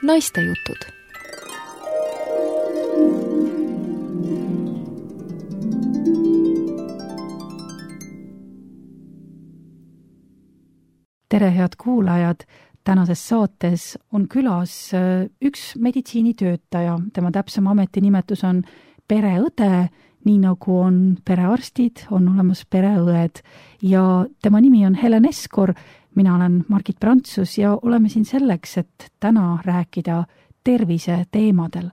Naistejutud. Tere, head kuulajad! Tänases saates on külas üks meditsiinitöötaja. Tema täpsem ametinimetus on pereõde, nii nagu on perearstid, on olemas pereõed. Ja tema nimi on Helen Eskor. Mina olen Margit Prantsus ja oleme siin selleks, et täna rääkida tervise teemadel.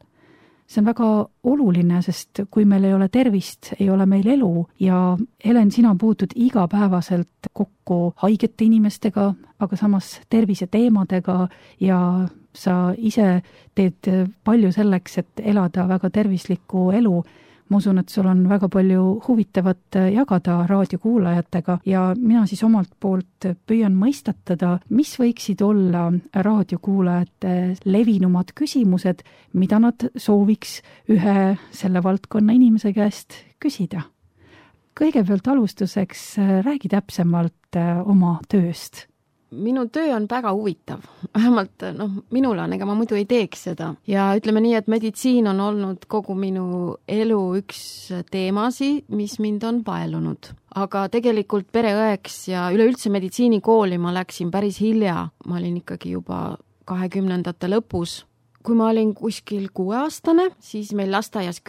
See on väga oluline, sest kui meil ei ole tervist, ei ole meil elu ja Helen, sina puutud igapäevaselt kokku haigete inimestega, aga samas tervise teemadega ja sa ise teed palju selleks, et elada väga tervislikku elu. Ma usun, et sul on väga palju huvitavat jagada raadiokuulajatega ja mina siis omalt poolt püüan mõistatada, mis võiksid olla raadiokuulajate levinumad küsimused, mida nad sooviks ühe selle valdkonna inimese käest küsida. Kõigepealt alustuseks räägi täpsemalt oma tööst. Minu töö on väga huvitav, vähemalt minul on, ega ma muidu ei teeks seda. Ja ütleme nii, et meditsiin on olnud kogu minu elu üks teemasi, mis mind on paelunud. Aga tegelikult pereõeks ja üleüldse meditsiinikooli ma läksin päris hilja. Ma olin ikkagi juba 20-ndate lõpus. Kui ma olin kuskil 6-aastane, siis meil lasteaias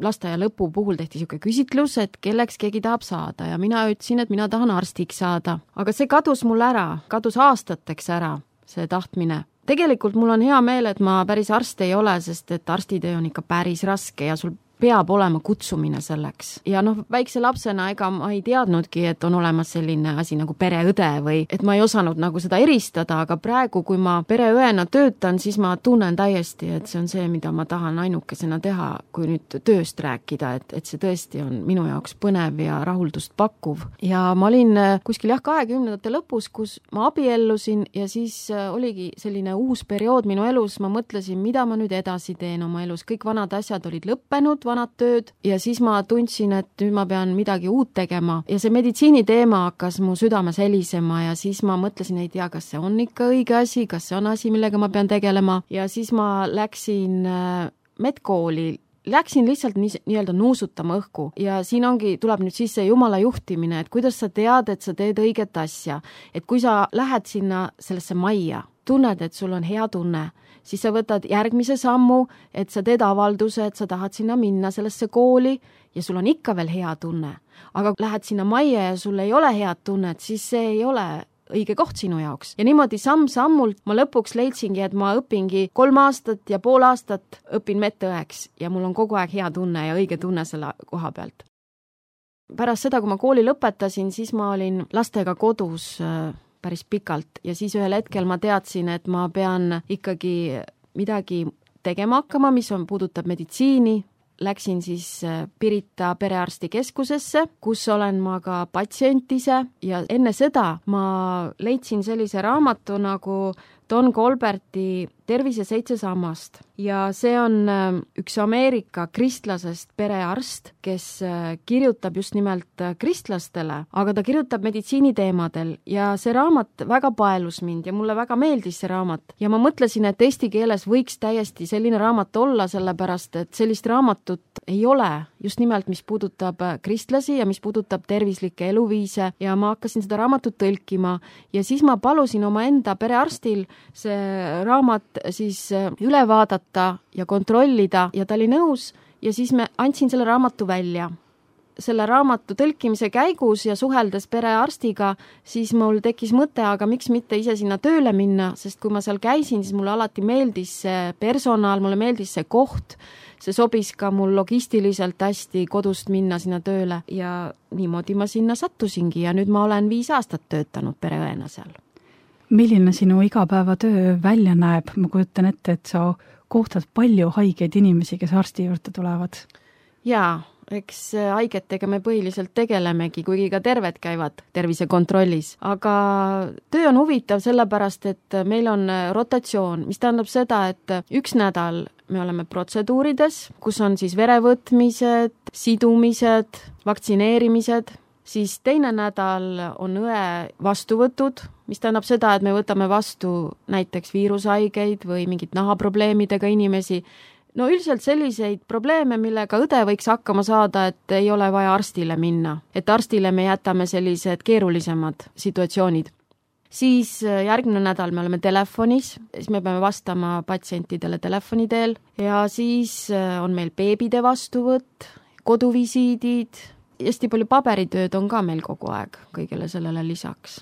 lasteaia lõpu puhul tehti siuke küsitlus, et kelleks keegi tahab saada ja mina ütlesin, et mina tahan arstiks saada. Aga see kadus mul ära, kadus aastateks ära, see tahtmine. Tegelikult mul on hea meel, et ma päris arst ei ole, sest et arstitöö on ikka päris raske ja sul peab olema kutsumine selleks. Ja väikse lapsena ega ma ei teadnudki, et on olemas selline asi nagu pereõde või et ma ei osanud nagu seda eristada, aga praegu, kui ma pereõena töötan, siis ma tunnen täiesti, et see on see, mida ma tahan ainukesena teha, kui nüüd tööst rääkida, et see tõesti on minu jaoks põnev ja rahuldust pakkuv. Ja ma olin kuskil 20-ndate lõpus, kus ma abiellusin ja siis oligi selline uus periood minu elus, ma mõtlesin, mida ma nüüd edasi teen oma elus. Kõik vanad asjad olid lõppenud, vanad tööd ja siis ma tundsin, et nüüd ma pean midagi uut tegema ja see meditsiini teema hakkas mu südames helisema ja siis ma mõtlesin, ei tea, kas see on ikka õige asi, kas see on asi, millega ma pean tegelema ja siis ma läksin medkooli, läksin lihtsalt nii-öelda nuusutama õhku ja siin tuleb nüüd sisse Jumala juhtimine, et kuidas sa tead, et sa teed õiget asja, et kui sa lähed sinna sellesse majja, tunned, et sul on hea tunne, siis sa võtad järgmise sammu, et sa teed avalduse, et sa tahad sinna minna sellesse kooli ja sul on ikka veel hea tunne. Aga lähed sinna majja ja sul ei ole head tunnet, siis see ei ole õige koht sinu jaoks. Ja niimoodi samm-sammult ma lõpuks leidsingi, et ma õpingi 3 aastat ja pool aastat õpin medõeks ja mul on kogu aeg hea tunne ja õige tunne selle koha pealt. Pärast seda, kui ma kooli lõpetasin, siis ma olin lastega kodus päris pikalt ja siis ühel hetkel ma teadsin, et ma pean ikkagi midagi tegema hakkama, mis puudutab meditsiini. Läksin siis Pirita perearstikeskusesse, kus olen ma ka patsient ise ja enne seda ma leidsin sellise raamatu nagu Don Colberti Tervise 7 sammast ja see on üks Ameerika kristlasest perearst, kes kirjutab just nimelt kristlastele, aga ta kirjutab meditsiiniteemadel ja see raamat väga paelus mind ja mulle väga meeldis see raamat ja ma mõtlesin, et eesti keeles võiks täiesti selline raamat olla, sellepärast et sellist raamatut ei ole, just nimelt mis puudutab kristlasi ja mis puudutab tervislikke eluviise ja ma hakkasin seda raamatut tõlkima ja siis ma palusin oma enda perearstil see raamat siis üle vaadata ja kontrollida ja ta oli nõus ja siis me andsin selle raamatu välja. Selle raamatu tõlkimise käigus ja suheldes perearstiga, siis mul tekkis mõte, aga miks mitte ise sinna tööle minna, sest kui ma seal käisin, siis mulle alati meeldis see personal, mulle meeldis see koht, see sobis ka mul logistiliselt hästi kodust minna sinna tööle ja niimoodi ma sinna sattusingi ja nüüd ma olen 5 aastat töötanud pereõena seal. Milline sinu igapäevatöö välja näeb? Ma kujutan ette, et sa kohtad palju haigeid inimesi, kes arsti juurde tulevad. Jaa, eks haigetega me põhiliselt tegelemegi, kuigi ka terved käivad tervisekontrollis. Aga töö on huvitav sellepärast, et meil on rotatsioon, mis tähendab seda, et 1 nädal me oleme protseduurides, kus on siis verevõtmised, sidumised, vaktsineerimised. siis teine nädal on õe vastuvõtud, mis tähendab seda, et me võtame vastu näiteks viirushaigeid või mingid nahaprobleemidega inimesi. No üldiselt selliseid probleeme, millega õde võiks hakkama saada, et ei ole vaja arstile minna. Et arstile me jätame sellised keerulisemad situatsioonid. Siis järgmine nädal me oleme telefonis, siis me peame vastama patsientidele telefoni teel ja siis on meil beebide vastuvõtt, koduvisiidid, hästi palju paberitööd on ka meil kogu aeg kõigele sellele lisaks.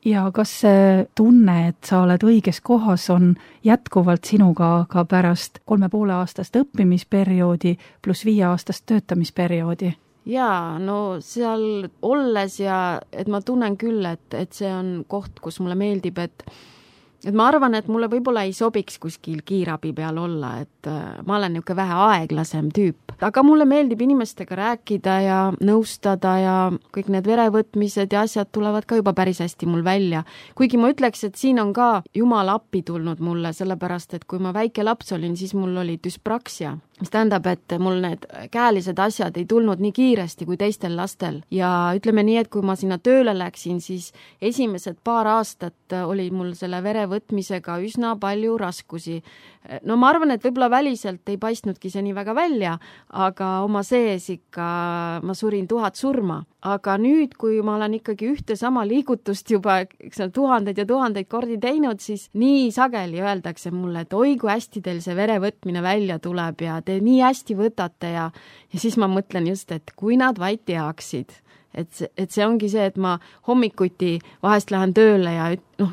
Ja kas see tunne, et sa oled õiges kohas, on jätkuvalt sinuga ka pärast 3,5-aastast õppimisperioodi pluss 5-aastast töötamisperioodi? Jaa, no seal olles ja et ma tunnen küll, et see on koht, kus mulle meeldib, et ma arvan, et mulle võib-olla ei sobiks kuskil kiirabi peal olla, et ma olen niisugune vähe aeglasem tüüp. Aga mulle meeldib inimestega rääkida ja nõustada ja kõik need verevõtmised ja asjad tulevad ka juba päris hästi mul välja. Kuigi ma ütleks, et siin on ka Jumal appi tulnud mulle, sellepärast et kui ma väike laps olin, siis mul oli dyspraxia, mis tähendab, et mul need käelised asjad ei tulnud nii kiiresti kui teistel lastel. Ja ütleme nii, et kui ma sinna tööle läksin, siis esimesed paar aastat oli mul selle verevõtmisega üsna palju raskusi. No ma arvan, et võib-olla väliselt ei paistnudki see nii väga välja, aga oma sees ikka ma surin 1000 surma. Aga nüüd, kui ma olen ikkagi ühte sama liigutust juba tuhandeid ja tuhandeid kordi teinud, siis nii sageli öeldakse mulle, et oi, kui hästi teil see verevõtmine välja tuleb ja te nii hästi võtate ja siis ma mõtlen just, et kui nad vaid teaksid, et see ongi see, et ma hommikuti vahest lähen tööle ja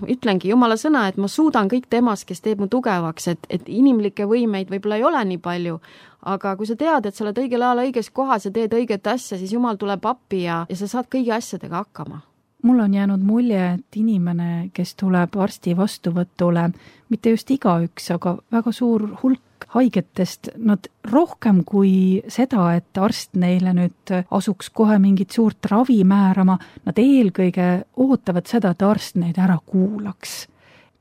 ütlengi Jumala sõna, et ma suudan kõik temas, kes teeb mu tugevaks, et inimlikke võimeid võib-olla ei ole nii palju, aga kui sa tead, et sa oled õigel ajal õiges kohas ja teed õiget asja, siis Jumal tuleb appi ja sa saad kõigi asjadega hakkama. Mul on jäänud mulje, et inimene, kes tuleb arsti vastuvõtule, mitte just igaüks, aga väga suur hulk haigetest, nad rohkem kui seda, et arst neile nüüd asuks kohe mingit suurt ravi määrama, nad eelkõige ootavad seda, et arst neid ära kuulaks.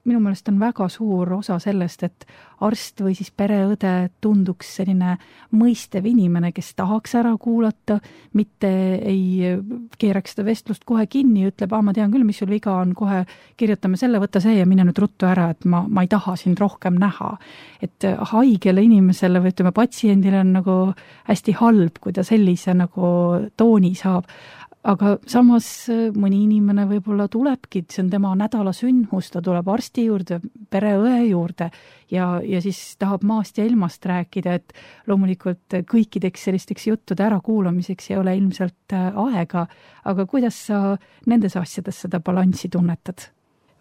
Minu meelest on väga suur osa sellest, et arst või siis pereõde tunduks selline mõistev inimene, kes tahaks ära kuulata, mitte ei keeraks seda vestlust kohe kinni ja ütleb, ma tean küll, mis sul viga on, kohe kirjutame selle, võta see ja mine nüüd ruttu ära, et ma ei taha sind rohkem näha. Et haigele inimesele või ütleme patsiendile on nagu hästi halb, kui ta sellise nagu tooni saab. Aga samas mõni inimene võib-olla tulebki, see on tema nädala sündmus, ta tuleb arsti juurde, pereõe juurde ja siis tahab maast ja ilmast rääkida, et loomulikult kõikideks sellisteks juttude ärakuulamiseks ei ole ilmselt aega, aga kuidas sa nendes asjades seda balanssi tunnetad?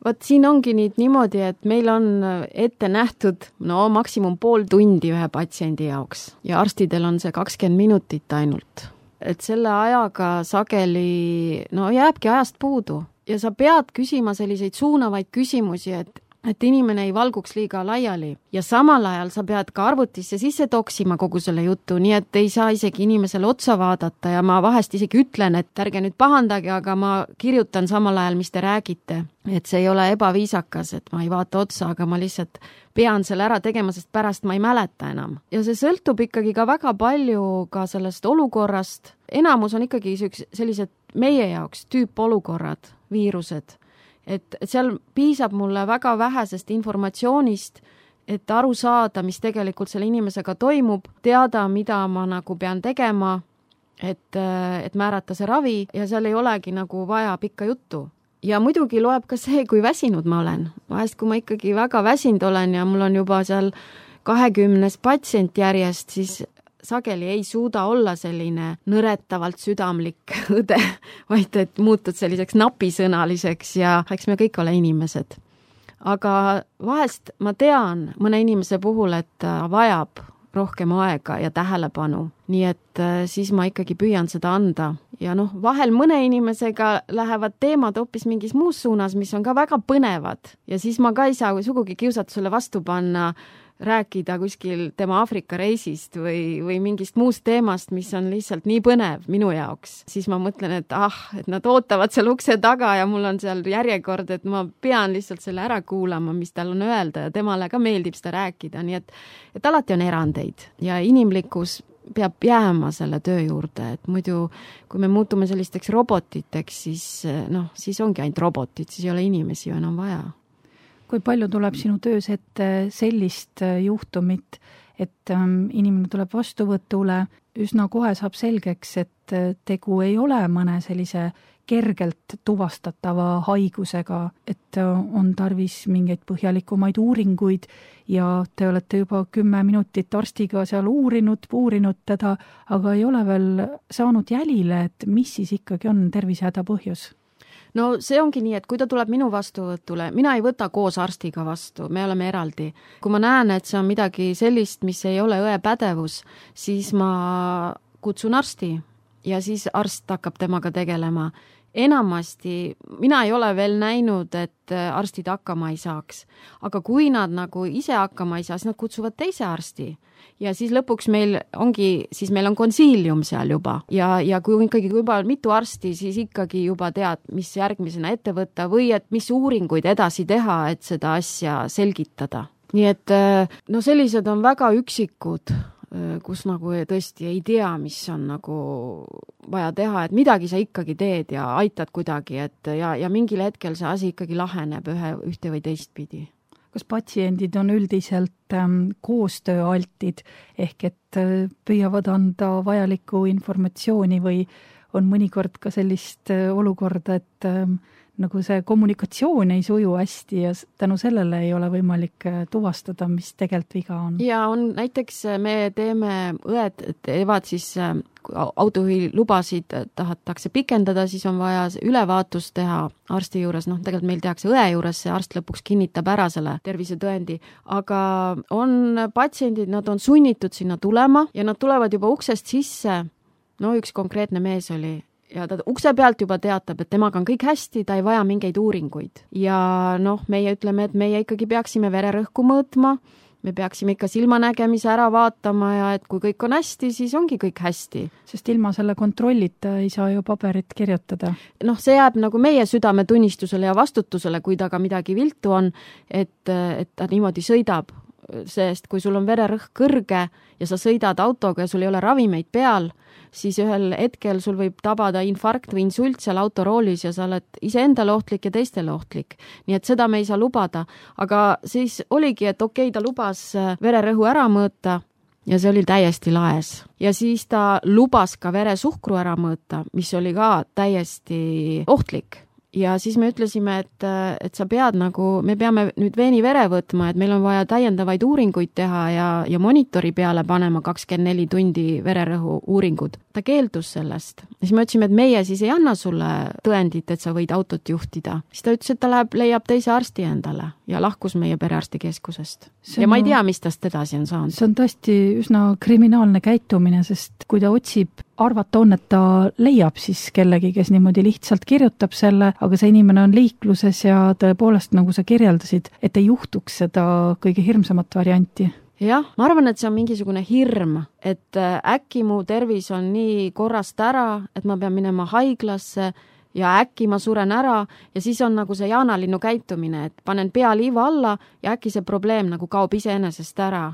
Vot siin ongi nüüd niimoodi, et meil on ette nähtud maksimum pool tundi ühe patsiendi jaoks ja arstidel on see 20 minutit ainult. Et selle ajaga sageli jääbki ajast puudu ja sa pead küsima selliseid suunavaid küsimusi, et inimene ei valguks liiga laiali ja samal ajal sa pead ka arvutisse sisse toksima kogu selle jutu, nii et ei saa isegi inimesele otsa vaadata ja ma vahest isegi ütlen, et ärge nüüd pahandage, aga ma kirjutan samal ajal, mis te räägite. Et see ei ole ebaviisakas, et ma ei vaata otsa, aga ma lihtsalt pean selle ära tegema, sest pärast ma ei mäleta enam. Ja see sõltub ikkagi ka väga palju ka sellest olukorrast. Enamus on ikkagi sellised meie jaoks tüüpolukorrad, viirused. Et seal piisab mulle väga vähesest informatsioonist, et aru saada, mis tegelikult selle inimesega toimub, teada, mida ma nagu pean tegema, et määrata see ravi ja seal ei olegi nagu vaja pikka juttu. Ja muidugi loeb ka see, kui väsinud ma olen. Vahest, kui ma ikkagi väga väsinud olen ja mul on juba seal 20 patsient järjest, siis sageli ei suuda olla selline nõretavalt südamlik õde, vaid et muutud selliseks napisõnaliseks ja eks me kõik ole inimesed. Aga vahest ma tean mõne inimese puhul, et vajab rohkem aega ja tähelepanu, nii et siis ma ikkagi püüan seda anda. Ja vahel mõne inimesega lähevad teemad hoopis mingis muus suunas, mis on ka väga põnevad ja siis ma ka ei saa sugugi kiusatusele vastu panna rääkida kuskil tema Aafrika reisist või mingist muust teemast, mis on lihtsalt nii põnev minu jaoks. Siis ma mõtlen, et nad ootavad seal ukse taga ja mul on seal järjekord, et ma pean lihtsalt selle ära kuulama, mis tal on öelda ja temale ka meeldib seda rääkida. Nii et alati on erandeid ja inimlikkus peab jääma selle töö juurde, et muidu kui me muutume sellisteks robotiteks, siis ongi ainult robotid, siis ei ole inimesi ju enam vaja. Kui palju tuleb sinu töös ette sellist juhtumit, et inimene tuleb vastuvõtule, üsna kohe saab selgeks, et tegu ei ole mõne sellise kergelt tuvastatava haigusega, et on tarvis mingeid põhjalikumaid uuringuid ja te olete juba 10 minutit arstiga seal uurinud teda, aga ei ole veel saanud jälile, et mis siis ikkagi on tervisehäda põhjus? No see ongi nii, et kui ta tuleb minu vastuvõtule, mina ei võta koos arstiga vastu, me oleme eraldi. Kui ma näen, et see on midagi sellist, mis ei ole õe pädevus, siis ma kutsun arsti ja siis arst hakkab temaga tegelema. Enamasti mina ei ole veel näinud, et arstid hakkama ei saaks, aga kui nad nagu ise hakkama ei saa, siis nad kutsuvad teise arsti. Ja siis lõpuks meil on konsiilium seal juba ja kui ikkagi juba mitu arsti, siis ikkagi juba tead, mis järgmisena ette võtta või et mis uuringuid edasi teha, et seda asja selgitada. Nii et sellised on väga üksikud, kus nagu tõesti ei tea, mis on nagu vaja teha, et midagi sa ikkagi teed ja aitad kuidagi, ja mingil hetkel see asi ikkagi laheneb ühte või teist pidi. Kas patsiendid on üldiselt koostööaltid ehk et püüavad anda vajalikku informatsiooni või on mõnikord ka sellist olukorda, et nagu see kommunikatsioon ei suju hästi ja tänu sellele ei ole võimalik tuvastada, mis tegelikult viga on? Ja on näiteks õed teevad siis autojuhilubasid tahetakse pikendada, siis on vaja ülevaatus teha arsti juures, tegelikult meil tehakse õe juures, see arst lõpuks kinnitab ära selle tervisetõendi, aga on patsiendid, nad on sunnitud sinna tulema ja nad tulevad juba uksest sisse, üks konkreetne mees oli, ja ta ukse pealt juba teatab, et temaga on kõik hästi, ta ei vaja mingeid uuringuid. Ja meie ütleme, et meie ikkagi peaksime vererõhku mõõtma, me peaksime ikka silmanägemise ära vaatama ja et kui kõik on hästi, siis ongi kõik hästi. Sest ilma selle kontrollita ei saa ju paberit kirjutada. See jääb nagu meie südametunnistusele ja vastutusele, kui ta ka midagi viltu on, et ta niimoodi sõidab. Sest kui sul on vererõhk kõrge ja sa sõidad autoga ja sul ei ole ravimeid peal, siis ühel hetkel sul võib tabada infarkt või insult seal autoroolis ja sa oled iseendale ohtlik ja teistele ohtlik. Nii et seda me ei saa lubada. Aga siis oligi, et okei, ta lubas vererõhu ära mõõta ja see oli täiesti laes. Ja siis ta lubas ka veresuhkru ära mõõta, mis oli ka täiesti ohtlik. Ja siis me ütlesime, et sa pead me peame nüüd veenivere võtma, et meil on vaja täiendavaid uuringuid teha ja monitori peale panema 24 tundi vererõhu uuringud. Ta keeldus sellest. Ja siis me ütlesime, et meie siis ei anna sulle tõendit, et sa võid autot juhtida. Siis ta ütles, et ta leiab teise arsti endale ja lahkus meie perearstikeskusest. Ja ma ei tea, mis tast edasi on saanud. See on tõesti üsna kriminaalne käitumine, sest kui ta otsib, arvata on, et ta leiab siis kellegi, kes niimoodi lihtsalt kirjutab selle, aga see inimene on liikluses ja tõepoolest, nagu sa kirjeldasid, et ei juhtuks seda kõige hirmsamat varianti. Jah, ma arvan, et see on mingisugune hirm, et äkki mu tervis on nii korrast ära, et ma pean minema haiglasse ja äkki ma suren ära ja siis on nagu see jaanalinnu käitumine, et panen pea liiva alla ja äkki see probleem nagu kaob iseenesest ära.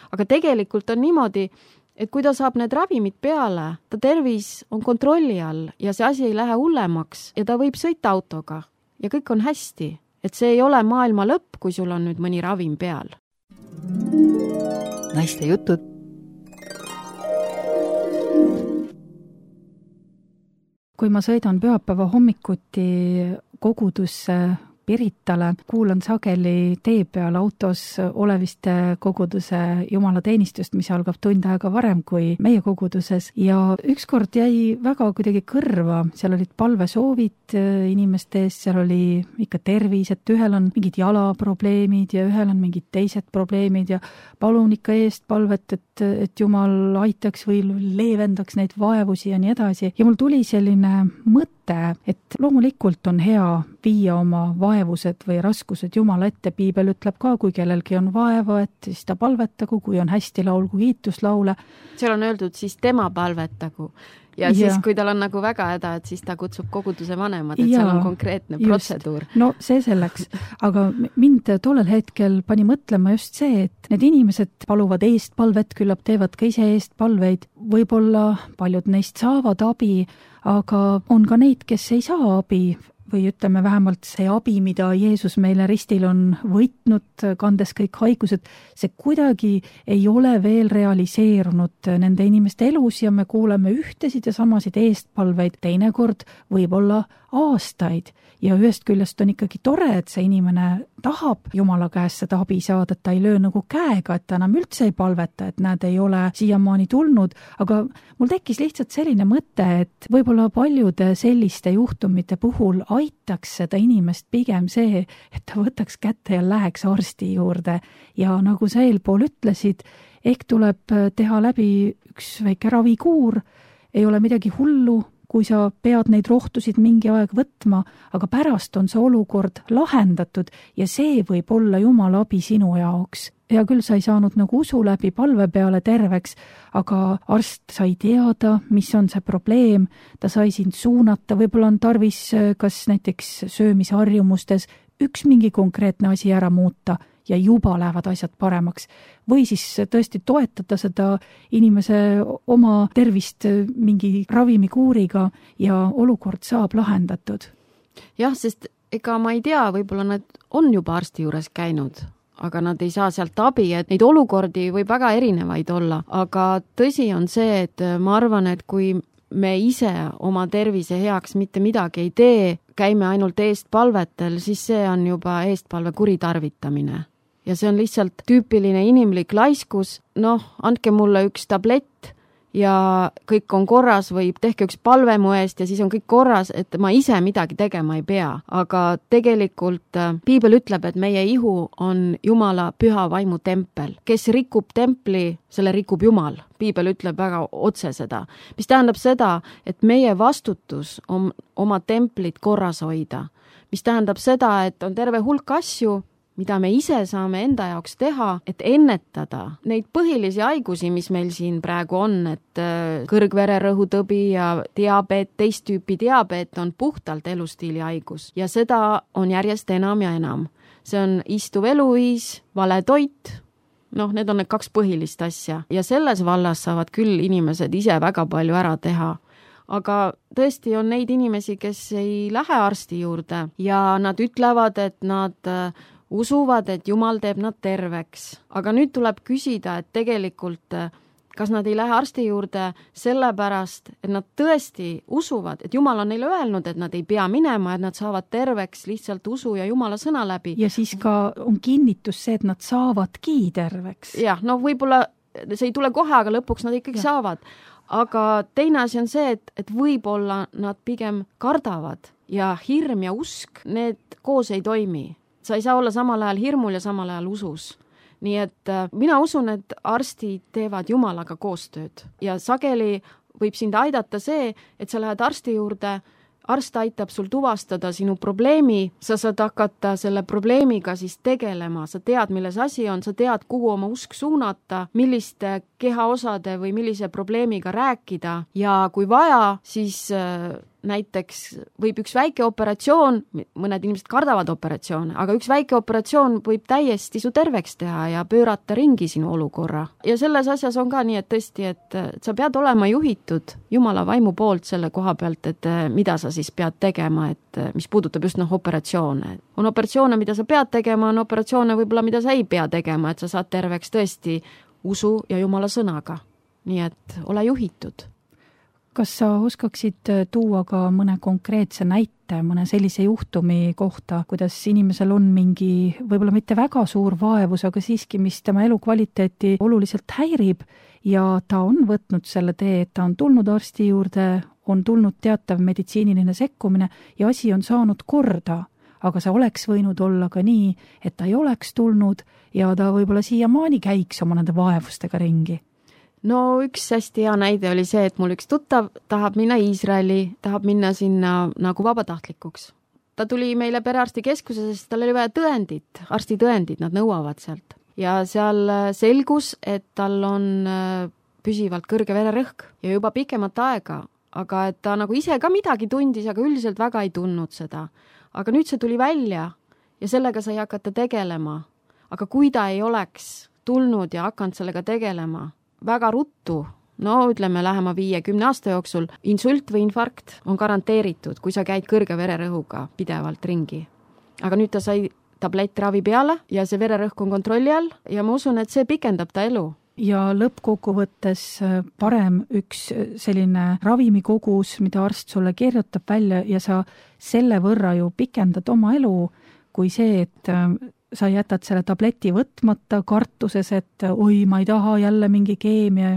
Aga tegelikult on niimoodi, et kui ta saab need ravimid peale, ta tervis on kontrolli all ja see asi ei lähe hullemaks ja ta võib sõita autoga ja kõik on hästi. Et see ei ole maailma lõpp, kui sul on nüüd mõni ravim peal. Naiste jutud. Kui ma sõidan pühapäeva hommikuti kogudusse Piritale, kuulan sageli tee peal autos Oleviste koguduse jumalateenistust, mis algab tund aega varem kui meie koguduses ja ükskord jäi väga kuidagi kõrva, seal olid palvesoovid inimeste ees, seal oli ikka tervis, et ühel on mingid jalaprobleemid ja ühel on mingid teised probleemid ja palun ikka eest palvet, et Jumal aitaks või leevendaks neid vaevusi ja nii edasi. Ja mul tuli selline mõte, et loomulikult on hea viia oma vaevused või raskused Jumala ette. Piibel ütleb ka, kui kellelgi on vaeva, et siis ta palvetagu, kui on hästi laulgu kiituslaule. Seal on öeldud siis tema palvetagu. ja siis, kui tal on nagu väga häda, et siis ta kutsub koguduse vanemad, et seal on konkreetne protseduur. No see selleks, aga mind tollel hetkel pani mõtlema just see, et need inimesed paluvad eestpalvet, küllap teevad ka ise eestpalveid, võib-olla paljud neist saavad abi, aga on ka neid, kes ei saa abi või ütleme vähemalt see abi, mida Jeesus meile ristil on võitnud, kandes kõik haigused, see kuidagi ei ole veel realiseerunud nende inimeste elus ja me kuuleme ühtesid ja samasid eestpalveid, teinekord võib-olla aastaid ja ühest küljest on ikkagi tore, et see inimene tahab Jumala käest seda abi saada, et ta ei löö nagu käega, et ta enam üldse ei palveta, et nad ei ole siiamaani tulnud, aga mul tekkis lihtsalt selline mõte, et võib-olla paljude selliste juhtumite puhul aitaks seda inimest pigem see, et ta võtaks kätte ja läheks arsti juurde ja nagu sa eelpool ütlesid, ehk tuleb teha läbi üks väike ravikuur, ei ole midagi hullu, kui sa pead neid rohtusid mingi aeg võtma, aga pärast on see olukord lahendatud ja see võib olla Jumala abi sinu jaoks. Hea küll, sa ei saanud nagu usu läbi palve peale terveks, aga arst sai teada, mis on see probleem, ta sai sind suunata, võib-olla on tarvis kas näiteks söömisharjumustes üks mingi konkreetne asi ära muuta ja juba lähevad asjad paremaks. Või siis tõesti toetada seda inimese oma tervist mingi ravimikuuriga ja olukord saab lahendatud. Jah, sest ega ma ei tea, võib-olla nad on juba arsti juures käinud, aga nad ei saa sealt abi, et neid olukordi võib väga erinevaid olla. Aga tõsi on see, et ma arvan, et kui me ise oma tervise heaks mitte midagi ei tee, käime ainult eestpalvetel, siis see on juba eestpalve kuritarvitamine. Ja see on lihtsalt tüüpiline inimlik laiskus, andke mulle üks tablett ja kõik on korras või tehke üks palve mu eest ja siis on kõik korras, et ma ise midagi tegema ei pea. Aga tegelikult Piibel ütleb, et meie ihu on Jumala püha vaimu tempel. Kes rikub templi, selle rikub Jumal. Piibel ütleb väga otse seda. Mis tähendab seda, et meie vastutus on oma templit korras hoida. Mis tähendab seda, et on terve hulk asju, mida me ise saame enda jaoks teha, et ennetada neid põhilisi haigusi, mis meil siin praegu on, et kõrgvererõhutõbi ja diabeet, teist tüüpi diabeet on puhtalt elustiili haigus ja seda on järjest enam ja enam. See on istuv eluviis, vale toit, need on need kaks põhilist asja ja selles vallas saavad küll inimesed ise väga palju ära teha. Aga tõesti on neid inimesi, kes ei lähe arsti juurde ja nad ütlevad, et nad usuvad, et Jumal teeb nad terveks. Aga nüüd tuleb küsida, et tegelikult kas nad ei lähe arsti juurde sellepärast, et nad tõesti usuvad, et Jumal on neile öelnud, et nad ei pea minema, et nad saavad terveks lihtsalt usu ja Jumala sõna läbi. Ja siis ka on kinnitus see, et nad saavadki terveks. Jah, võib-olla see ei tule kohe, aga lõpuks nad ikkagi saavad. Aga teine asi on see, et võib-olla nad pigem kardavad ja hirm ja usk, need koos ei toimi. Sa ei saa olla samal ajal hirmul ja samal ajal usus. Nii et mina usun, et arstid teevad Jumalaga koostööd ja sageli võib sind aidata see, et sa lähed arsti juurde, arst aitab sul tuvastada sinu probleemi, sa saad hakata selle probleemiga siis tegelema, sa tead, milles asi on, sa tead, kuhu oma usk suunata, milliste kehaosade või millise probleemiga rääkida ja kui vaja, siis näiteks võib üks väike operatsioon, mõned inimesed kardavad operatsioone, aga üks väike operatsioon võib täiesti su terveks teha ja pöörata ringi sinu olukorra. Ja selles asjas on ka nii, et tõesti, et sa pead olema juhitud Jumala vaimu poolt selle koha pealt, et mida sa siis pead tegema, et mis puudutab just operatsioone. On operatsioone, mida sa pead tegema, on operatsioone võib-olla, mida sa ei pea tegema, et sa saad terveks tõesti usu ja Jumala sõnaga. Nii et ole juhitud. Kas sa oskaksid tuua ka mõne konkreetse näite, mõne sellise juhtumi kohta, kuidas inimesel on mingi võib-olla mitte väga suur vaevus, aga siiski, mis tema elukvaliteeti oluliselt häirib ja ta on võtnud selle tee, et ta on tulnud arsti juurde, on tulnud teatav meditsiiniline sekkumine ja asi on saanud korda, aga see oleks võinud olla ka nii, et ta ei oleks tulnud ja ta võib-olla siiamaani käiks oma nende vaevustega ringi. No üks hästi hea näide oli see, et mul üks tuttav tahab minna Iisraeli, tahab minna sinna nagu vabatahtlikuks. Ta tuli meile perearstikeskuse, sest tal oli vaja tõendit, arstitõendid, nad nõuavad sealt. Ja seal selgus, et tal on püsivalt kõrge vererõhk ja juba pikemat aega aga et ta nagu ise ka midagi tundis, aga üldiselt väga ei tundnud seda. Aga nüüd see tuli välja ja sellega sai hakata tegelema. Aga kui ta ei oleks tulnud ja hakanud sellega tegelema väga ruttu, no ütleme lähema 5-10 aasta jooksul, insult või infarkt on garanteeritud, kui sa käid kõrge vererõhuga pidevalt ringi. Aga nüüd ta sai tablettravi peale ja see vererõhk on kontrolli all ja ma usun, et see pikendab ta elu. Ja lõppkokkuvõttes parem üks selline ravimikogus, mida arst sulle kirjutab välja ja sa selle võrra ju pikendad oma elu, kui see, et sa jätad selle tableti võtmata kartuses, et oi, ma ei taha jälle mingi keemia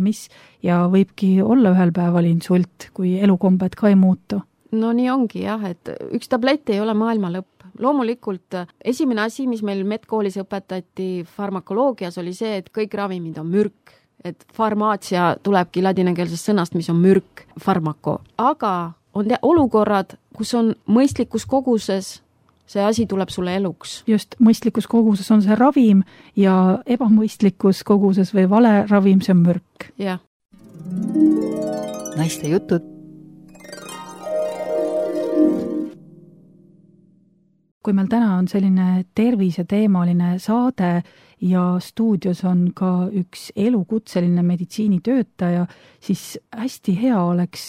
ja võibki olla ühel päeval insult, kui elukombed ka ei muutu. No nii ongi jah, et üks tablett ei ole maailma lõpp. Loomulikult esimene asi, mis meil medkoolis õpetati farmakoloogias, oli see, et kõik ravimid on mürk. Et farmaatsia tulebki ladinakeelsest sõnast, mis on mürk, farmako. Aga on olukorrad, kus on mõistlikus koguses, see asi tuleb sulle eluks. Just mõistlikus koguses on see ravim ja ebamõistlikus koguses või vale ravim, see on mürk. Jah. Naiste jutud. Kui meil täna on selline terviseteemaline saade ja stuudios on ka üks elukutseline meditsiinitöötaja, siis hästi hea oleks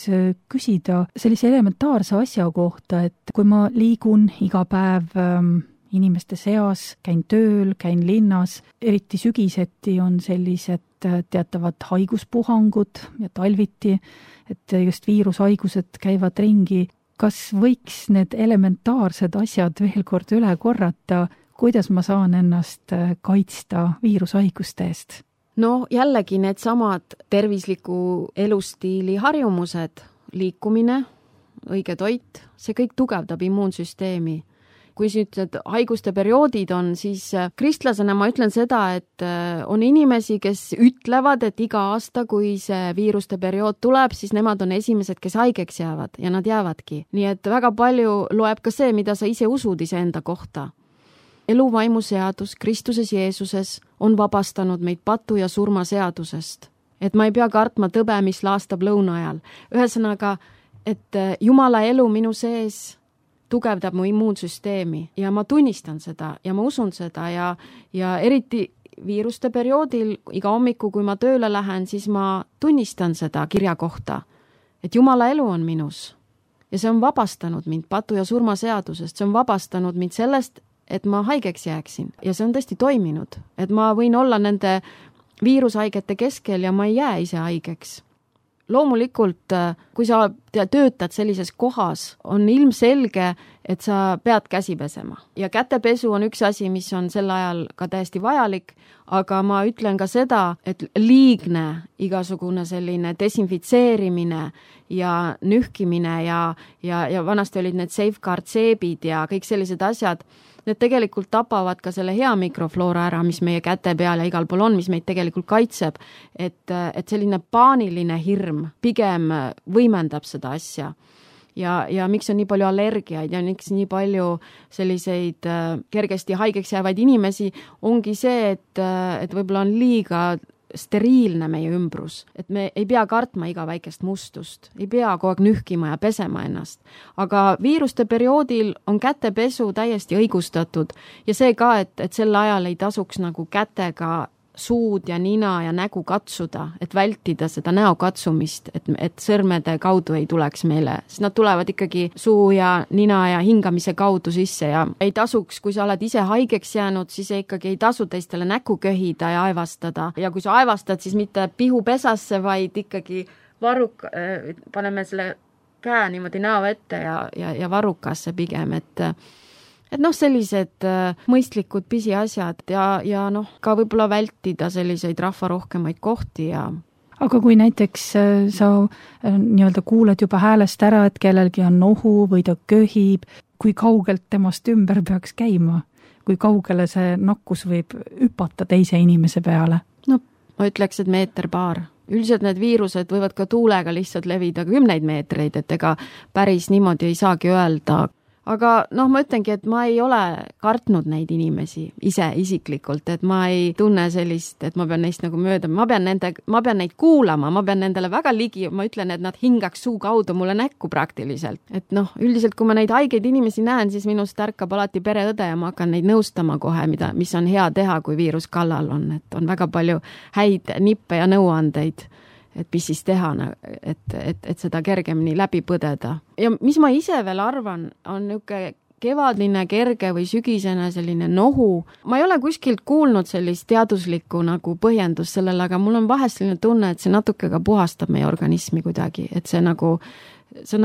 küsida sellise elementaarse asja kohta, et kui ma liigun iga päev inimeste seas, käin tööl, käin linnas, eriti sügiseti on sellised teatavad haiguspuhangud ja talviti, et just viirushaigused käivad ringi. Kas võiks need elementaarsed asjad veel kord üle korrata, kuidas ma saan ennast kaitsta viirushaiguste eest? No jällegi need samad tervisliku elustiili harjumused, liikumine, õige toit, see kõik tugevdab immuunsüsteemi. Kui nüüd haiguste perioodid on, siis kristlasena ma ütlen seda, et on inimesi, kes ütlevad, et iga aasta, kui see viiruste periood tuleb, siis nemad on esimesed, kes haigeks jäävad ja nad jäävadki. Nii et väga palju loeb ka see, mida sa ise usud iseenda kohta. Eluvaimu seadus Kristuses Jeesuses on vabastanud meid patu ja surma seadusest. Et ma ei pea kartma tõbe, mis laastab lõuna ajal. Ühesõnaga, et Jumala elu minu sees tugevdab mu immuunsüsteemi ja ma tunnistan seda ja ma usun seda ja eriti viiruste perioodil iga hommiku, kui ma tööle lähen, siis ma tunnistan seda kirja kohta, et Jumala elu on minus ja see on vabastanud mind patu ja surma seadusest, see on vabastanud mind sellest, et ma haigeks jääksin ja see on tõesti toiminud, et ma võin olla nende viirushaigete keskel ja ma ei jää ise haigeks. Loomulikult, kui sa töötad sellises kohas, on ilmselge, et sa pead käsi pesema. Ja kätepesu on üks asi, mis on sel ajal ka täiesti vajalik, aga ma ütlen ka seda, et liigne igasugune selline desinfitseerimine ja nühkimine ja vanasti olid need safeguard seebid ja kõik sellised asjad, need tegelikult tapavad ka selle hea mikrofloora ära, mis meie käte peal ja igal pool on, mis meid tegelikult kaitseb. Et selline paaniline hirm pigem võimendab seda asja. Ja miks on nii palju allergiaid ja miks nii palju selliseid kergesti haigeks jäävaid inimesi, ongi see, et võib-olla on liiga steriilne meie ümbrus, et me ei pea kartma iga väikest mustust, ei pea kogu aeg nühkima ja pesema ennast. Aga viiruste perioodil on kätepesu täiesti õigustatud ja see ka, et sel ajal ei tasuks nagu kätega suud ja nina ja nägu katsuda, et vältida seda näo katsumist, et sõrmede kaudu ei tuleks meile. Siis nad tulevad ikkagi suu ja nina ja hingamise kaudu sisse ja ei tasuks, kui sa oled ise haigeks jäänud, siis ikkagi ei tasu teistele näku köhida ja aevastada. Ja kui sa aevastad, siis mitte pihupesasse, vaid ikkagi paneme selle käe niimoodi näo ette ja varrukasse pigem, et sellised mõistlikud pisiasjad ja ka võib-olla vältida selliseid rahvarohkemaid kohti ja Aga kui näiteks sa nii-öelda kuuled juba häälest ära, et kellelgi on nohu või ta köhib, kui kaugelt temast ümber peaks käima? Kui kaugele see nakkus võib hüpata teise inimese peale? No, ma ütleks, et meeter-paar. Üldiselt need viirused võivad ka tuulega lihtsalt levida 10 meetreid, et ega päris niimoodi ei saagi öelda. aga noh, ma ütlengi, et ma ei ole kartnud neid inimesi ise isiklikult, et ma ei tunne sellist, et ma pean neist nagu mööda, ma pean neid kuulama, ma pean nendele väga ligi, ma ütlen, et nad hingaks suu kaudu mulle näkku praktiliselt. Et noh, üldiselt kui ma neid haigeid inimesi näen, siis minust ärkab alati pereõde ja ma hakkan neid nõustama kohe, mis on hea teha, kui viirus kallal on, et on väga palju häid nippe ja nõuandeid, et mis siis teha, et seda kergemini läbi põdeda. Ja mis ma ise veel arvan, on niisugune kevadline, kerge või sügisene selline nohu. Ma ei ole kuskilt kuulnud sellist teaduslikku nagu põhjendust sellele, aga mul on vahest selline tunne, et see natuke ka puhastab meie organismi kuidagi, et see on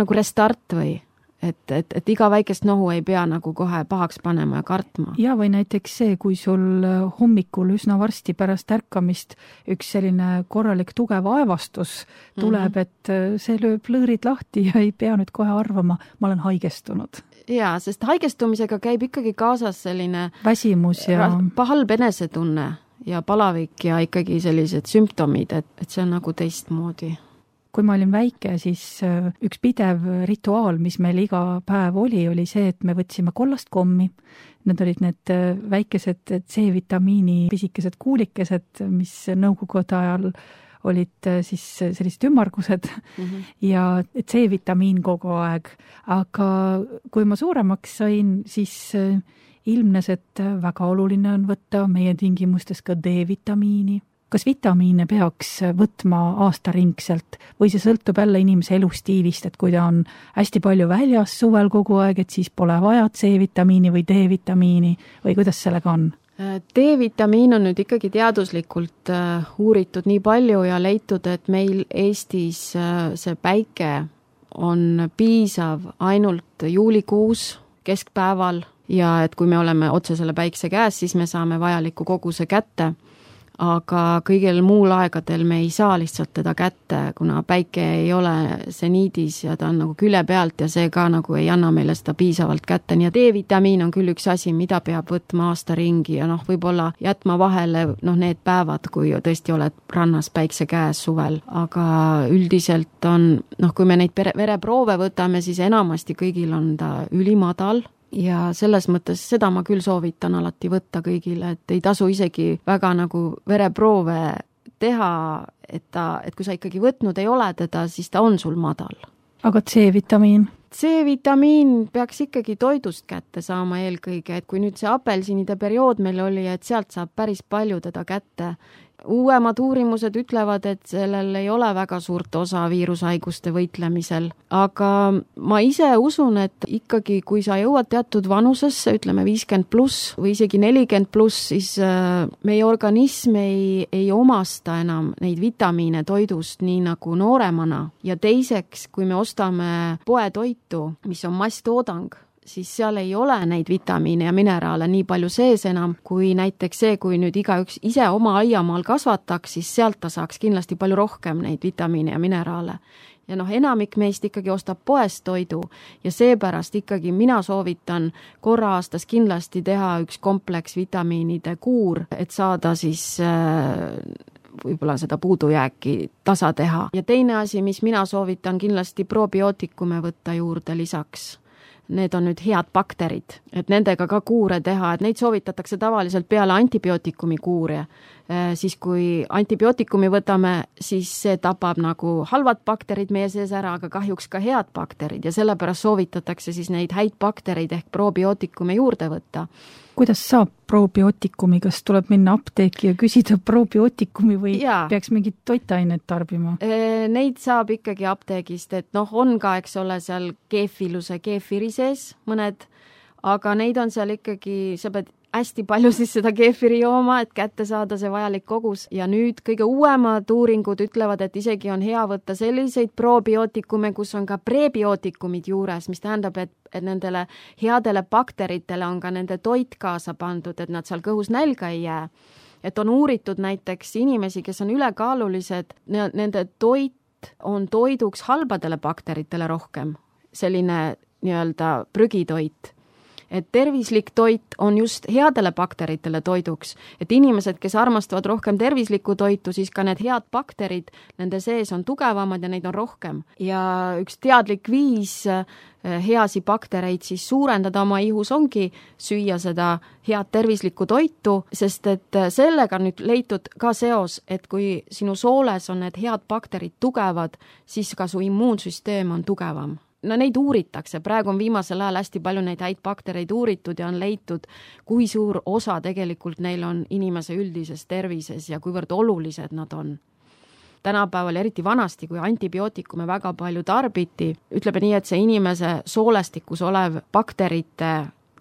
nagu restart või et iga väikest nohu ei pea nagu kohe pahaks panema ja kartma. Ja või näiteks see, kui sul hommikul üsna varsti pärast ärkamist üks selline korralik tugev aevastus tuleb, et see lööb lõõrid lahti ja ei pea nüüd kohe arvama, ma olen haigestunud. Jaa, sest haigestumisega käib ikkagi kaasas selline väsimus ja halb enesetunne ja palavik ja ikkagi sellised sümptomid, et see on nagu teistmoodi. Kui ma olin väike, siis üks pidev rituaal, mis meil iga päev oli see, et me võtsime kollast kommi. Need olid need väikesed C-vitamiini pisikesed kuulikesed, mis nõukogude ajal olid siis sellised ümmargused ja C-vitamiin kogu aeg. Aga kui ma suuremaks sain, siis ilmnes, et väga oluline on võtta meie tingimustes ka D-vitamiini. Kas vitamiine peaks võtma aastaringselt või see sõltub jälle inimese elustiilist, et kui ta on hästi palju väljas suvel kogu aeg, et siis pole vaja C-vitamiini või D-vitamiini või kuidas sellega on? D-vitamiin on nüüd ikkagi teaduslikult uuritud nii palju ja leitud, et meil Eestis see päike on piisav ainult juulikuus keskpäeval ja et kui me oleme otse selle päikse käes, siis me saame vajaliku koguse kätte. Aga kõigil muul aegadel me ei saa lihtsalt teda kätte, kuna päike ei ole seniidis ja ta on nagu külje pealt ja see ka nagu ei anna meile seda piisavalt kätte. Nii et D-vitamiin on küll üks asi, mida peab võtma aasta ringi ja võib-olla jätma vahele need päevad, kui tõesti oled rannas päikse käes suvel. Aga üldiselt on, kui me neid vereproove võtame, siis enamasti kõigil on ta ülimadal. Ja selles mõttes seda ma küll soovitan alati võtta kõigile, et ei tasu isegi väga nagu vereproove teha, et kui sa ikkagi võtnud ei ole teda, siis ta on sul madal. Aga C-vitamiin? C-vitamiin peaks ikkagi toidust kätte saama eelkõige, et kui nüüd see apelsinide periood meil oli, et sealt saab päris palju teda kätte. Uuemad uurimused ütlevad, et sellel ei ole väga suurt osa viirushaiguste võitlemisel, aga ma ise usun, et ikkagi kui sa jõuad teatud vanusesse, ütleme 50+ või isegi 40+, siis meie organism ei omasta enam neid vitamiine toidust nii nagu nooremana ja teiseks, kui me ostame poetoitu, mis on masstoodang, siis seal ei ole neid vitamiine ja mineraale nii palju sees enam, kui näiteks see, kui nüüd igaüks ise oma aiamaal kasvataks, siis sealt ta saaks kindlasti palju rohkem neid vitamiine ja mineraale. Ja enamik meist ikkagi ostab poest toidu ja seepärast ikkagi mina soovitan korra aastas kindlasti teha üks kompleks vitamiinide kuur, et saada siis võib-olla seda puudujääki tasa teha. Ja teine asi, mis mina soovitan kindlasti probiootikume võtta juurde lisaks. Need on nüüd head bakterid, et nendega ka kuure teha, et neid soovitatakse tavaliselt peale antibiootikumi kuure. Siis kui antibiootikumi võtame, siis see tapab nagu halvad bakterid meie sees ära, aga kahjuks ka head bakterid ja sellepärast soovitatakse siis neid häid bakterid ehk probiootikume juurde võtta. Kuidas saab probiootikumi, kas tuleb minna apteeki ja küsida probiootikumi või peaks mingit toitainet tarbima? Neid saab ikkagi apteegist, et on ka, eks ole, seal keefiluse keefiri sees mõned, aga neid on seal ikkagi, sa pead hästi palju siis seda keefiri jooma, et kätte saada see vajalik kogus. Ja nüüd kõige uuemad uuringud ütlevad, et isegi on hea võtta selliseid probiootikume, kus on ka prebiootikumid juures, mis tähendab, et nendele headele bakteritele on ka nende toit kaasa pandud, et nad seal kõhus nälga ei jää. Et on uuritud näiteks inimesi, kes on ülekaalulised, nende toit on toiduks halbadele bakteritele rohkem, selline nii-öelda prügitoit. et tervislik toit on just headele bakteritele toiduks, et inimesed, kes armastavad rohkem tervislikku toitu, siis ka need head bakterid nende sees on tugevamad ja neid on rohkem. Ja üks teadlik viis heasi baktereid siis suurendada oma ihus ongi süüa seda head tervislikku toitu, sest et sellega on nüüd leitud ka seos, et kui sinu sooles on need head bakterid tugevad, siis ka su immuunsüsteem on tugevam. No neid uuritakse, praegu on viimasel ajal hästi palju neid häid baktereid uuritud ja on leitud, kui suur osa tegelikult neil on inimese üldises tervises ja kuivõrd olulised nad on. Tänapäeval, eriti vanasti, kui antibiootikume väga palju tarbiti, ütleme nii, et see inimese soolestikus olev bakterite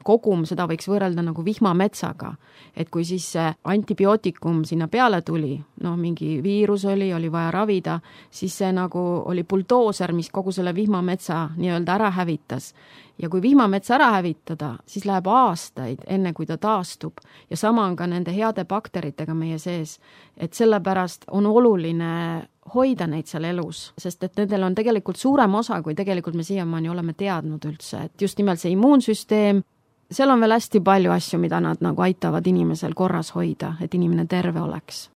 kogum, seda võiks võrrelda nagu vihmametsaga. Et kui siis see antibiootikum sinna peale tuli, mingi viirus oli vaja ravida, siis see nagu oli buldooser, mis kogu selle vihmametsa nii-öelda ära hävitas. Ja kui vihmametsa ära hävitada, siis läheb aastaid, enne kui ta taastub. Ja sama on ka nende heade bakteritega meie sees. Et sellepärast on oluline hoida neid seal elus, sest et nendel on tegelikult suurem osa, kui tegelikult me siiamaani oleme teadnud üldse. Et just nimelt see immuunsüsteem, seal on veel hästi palju asju, mida nad nagu aitavad inimesel korras hoida, et inimene terve oleks.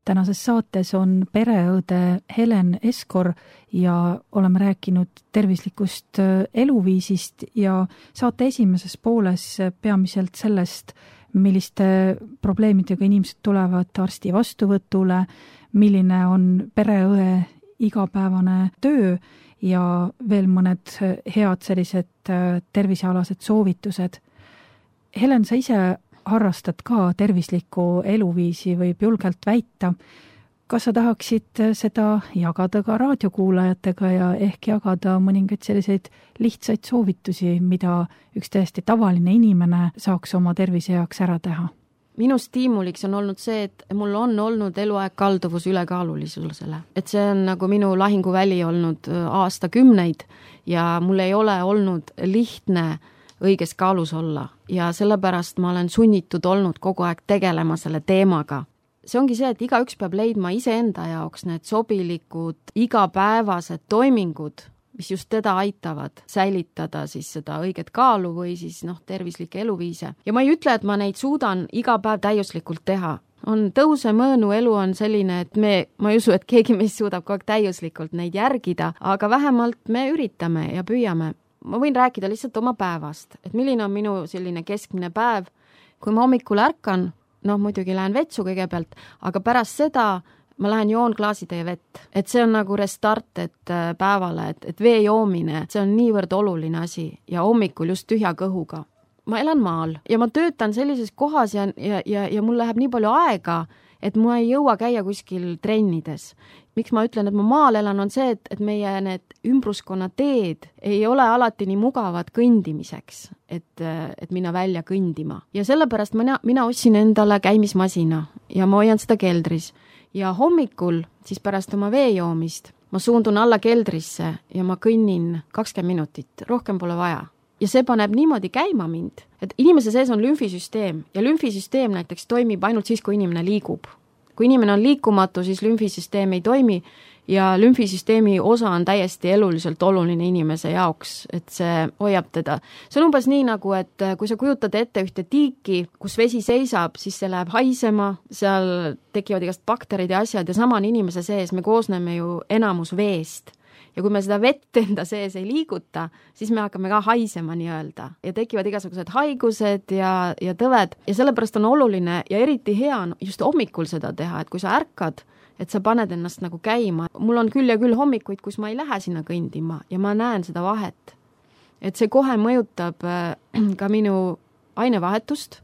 Tänases saates on pereõde Helen Eskor ja oleme rääkinud tervislikust eluviisist ja saate esimeses pooles peamiselt sellest, milliste probleemidega inimesed tulevad arsti vastuvõtule, milline on pereõe igapäevane töö ja veel mõned head sellised tervisealased soovitused. Helen, sa ise harrastad ka tervislikku eluviisi, võib julgelt väita. Kas sa tahaksid seda jagada ka raadiokuulajatega ja ehk jagada mõningaid selliseid lihtsaid soovitusi, mida üks täiesti tavaline inimene saaks oma tervise heaks ära teha? Minu stiimuliks on olnud see, et mul on olnud eluaeg kalduvus ülekaalulisusele. Et see on nagu minu lahinguväli olnud aastakümneid ja mul ei ole olnud lihtne õiges kaalus olla ja sellepärast ma olen sunnitud olnud kogu aeg tegelema selle teemaga. See ongi see, et igaüks peab leidma iseenda jaoks need sobilikud igapäevased toimingud, mis just teda aitavad säilitada siis seda õiget kaalu või siis tervislikke eluviise. Ja ma ei ütle, et ma neid suudan iga päev täiuslikult teha. On tõuse mõõnu elu on selline, et ma ei usu, et keegi meist suudab kogu aeg täiuslikult neid järgida, aga vähemalt me üritame ja püüame. Ma võin rääkida lihtsalt oma päevast, et milline on minu selline keskmine päev. Kui ma hommikul ärkan, muidugi lähen vetsu kõigepealt, aga pärast seda ma lähen joon klaasitäie vett. Et see on nagu restart päevale, et vee joomine, see on niivõrd oluline asi ja hommikul just tühja kõhuga. ma elan maal ja ma töötan sellises kohas ja mul läheb nii palju aega, et ma ei jõua käia kuskil trennides. Miks ma ütlen, et ma maal elan, on see, et meie need ümbruskonna teed ei ole alati nii mugavad kõndimiseks, et minna välja kõndima. Ja sellepärast mina ostsin endale käimismasina ja ma hoian seda keldris. Ja hommikul, siis pärast oma veejoomist, ma suundun alla keldrisse ja ma kõnnin 20 minutit, rohkem pole vaja. Ja see paneb niimoodi käima mind, et inimese sees on lümfisüsteem ja lümfisüsteem näiteks toimib ainult siis, kui inimene liigub. Kui inimene on liikumatu, siis lümfisüsteem ei toimi ja lümfisüsteemi osa on täiesti eluliselt oluline inimese jaoks, et see hoiab teda. See on umbes nii nagu, et kui sa kujutad ette ühte tiiki, kus vesi seisab, siis see läheb haisema, seal tekivad igast bakterid ja asjad ja sama on inimese sees, me koosneme ju enamus veest. Ja kui me seda vett enda sees ei liiguta, siis me hakkame ka haisema nii-öelda ja tekivad igasugused haigused ja tõved ja sellepärast on oluline ja eriti hea on just hommikul seda teha, et kui sa ärkad, et sa paned ennast nagu käima. Mul on küll ja küll hommikuid, kus ma ei lähe sinna kõndima ja ma näen seda vahet. Et see kohe mõjutab ka minu ainevahetust.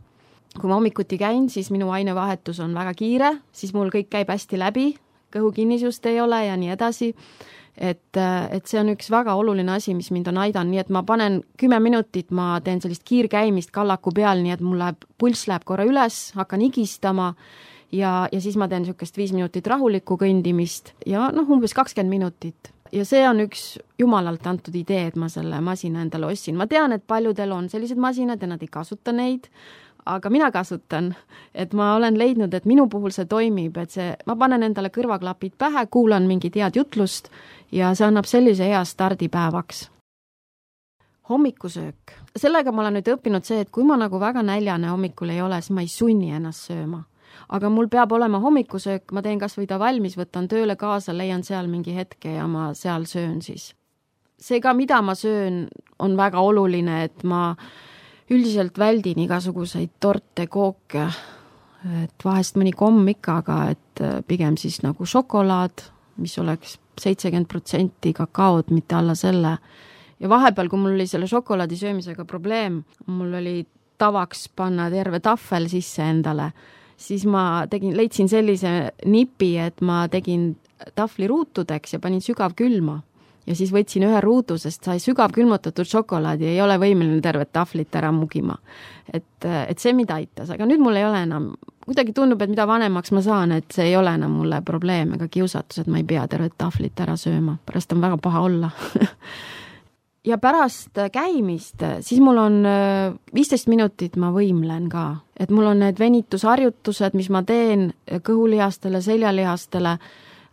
Kui ma hommikuti käin, siis minu ainevahetus on väga kiire, siis mul kõik käib hästi läbi, kõhukinnisust ei ole ja nii edasi. Et see on üks väga oluline asi, mis mind on aidan, nii et ma panen 10 minutit, ma teen sellist kiirkäimist kallaku peal, nii et mul pulss läheb korra üles, hakkan higistama ja siis ma teen niisugust 5 minutit rahulikku kõndimist ja umbes 20 minutit. Ja see on üks jumalalt antud idee, et ma selle masina endale ostsin. Ma tean, et paljudel on sellised masinad ja nad ei kasuta neid, aga mina kasutan, et ma olen leidnud, et minu puhul see toimib, et ma panen endale kõrvaklapid pähe, kuulan mingit head jutlust ja see annab sellise hea stardipäevaks. Hommikusöök. Sellega ma olen nüüd õppinud see, et kui ma nagu väga näljane hommikul ei ole, siis ma ei sunni ennast sööma. Aga mul peab olema hommikusöök, ma teen kas või ta valmis, võtan tööle kaasa, leian seal mingi hetke ja ma seal söön siis. See ka, mida ma söön, on väga oluline, et ma üldiselt väldin igasuguseid torte, kooke, et vahest mõni komm ikka, aga et pigem siis nagu šokolaad, mis oleks 70% kakaod, mitte alla selle. Ja vahepeal, kui mul oli selle šokolaadi söömisega probleem, mul oli tavaks panna terve tahvel sisse endale, siis ma leidsin sellise nipi, et ma tegin tahvli ruutudeks ja panin sügav külma. Ja siis võtsin ühe ruudu, sest sai sügav külmutatud šokolaadi ja ei ole võimeline tervet tahvlit ära mugima. Et see mida aitas, aga nüüd mul ei ole enam, kuidagi tundub, et mida vanemaks ma saan, et see ei ole enam mulle probleem ega kiusatus, et ma ei pea tervet tahvlit ära sööma, pärast on väga paha olla. Ja pärast käimist, siis mul on 15 minutit ma võimlen ka, et mul on need venitusharjutused, mis ma teen kõhulihastele, seljalihastele.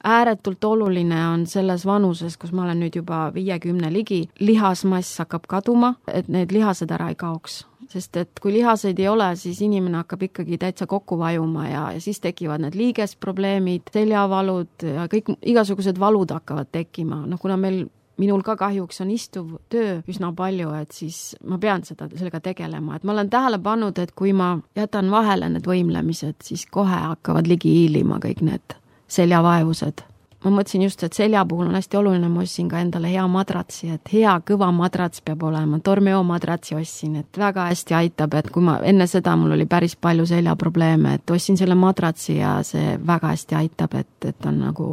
Ääretult oluline on selles vanuses, kus ma olen nüüd juba 50 ligi, lihasmass hakkab kaduma, et need lihased ära ei kaoks. Sest et kui lihaseid ei ole, siis inimene hakkab ikkagi täitsa kokku vajuma ja siis tekivad need liigesprobleemid, seljavalud ja kõik igasugused valud hakkavad tekkima. Kuna minul ka kahjuks on istuv töö üsna palju, et siis ma pean sellega tegelema. Et ma olen tähele pannud, et kui ma jätan vahele need võimlemised, siis kohe hakkavad ligi hiilima kõik need seljavaevused. Ma mõtlesin just, et selja puhul on hästi oluline, ma ostsin ka endale hea madratsi, et hea kõva madrats peab olema. Tormeo madratsi ostsin, et väga hästi aitab, et kui enne seda mul oli päris palju seljaprobleeme, et ostsin selle madratsi ja see väga hästi aitab, et on nagu...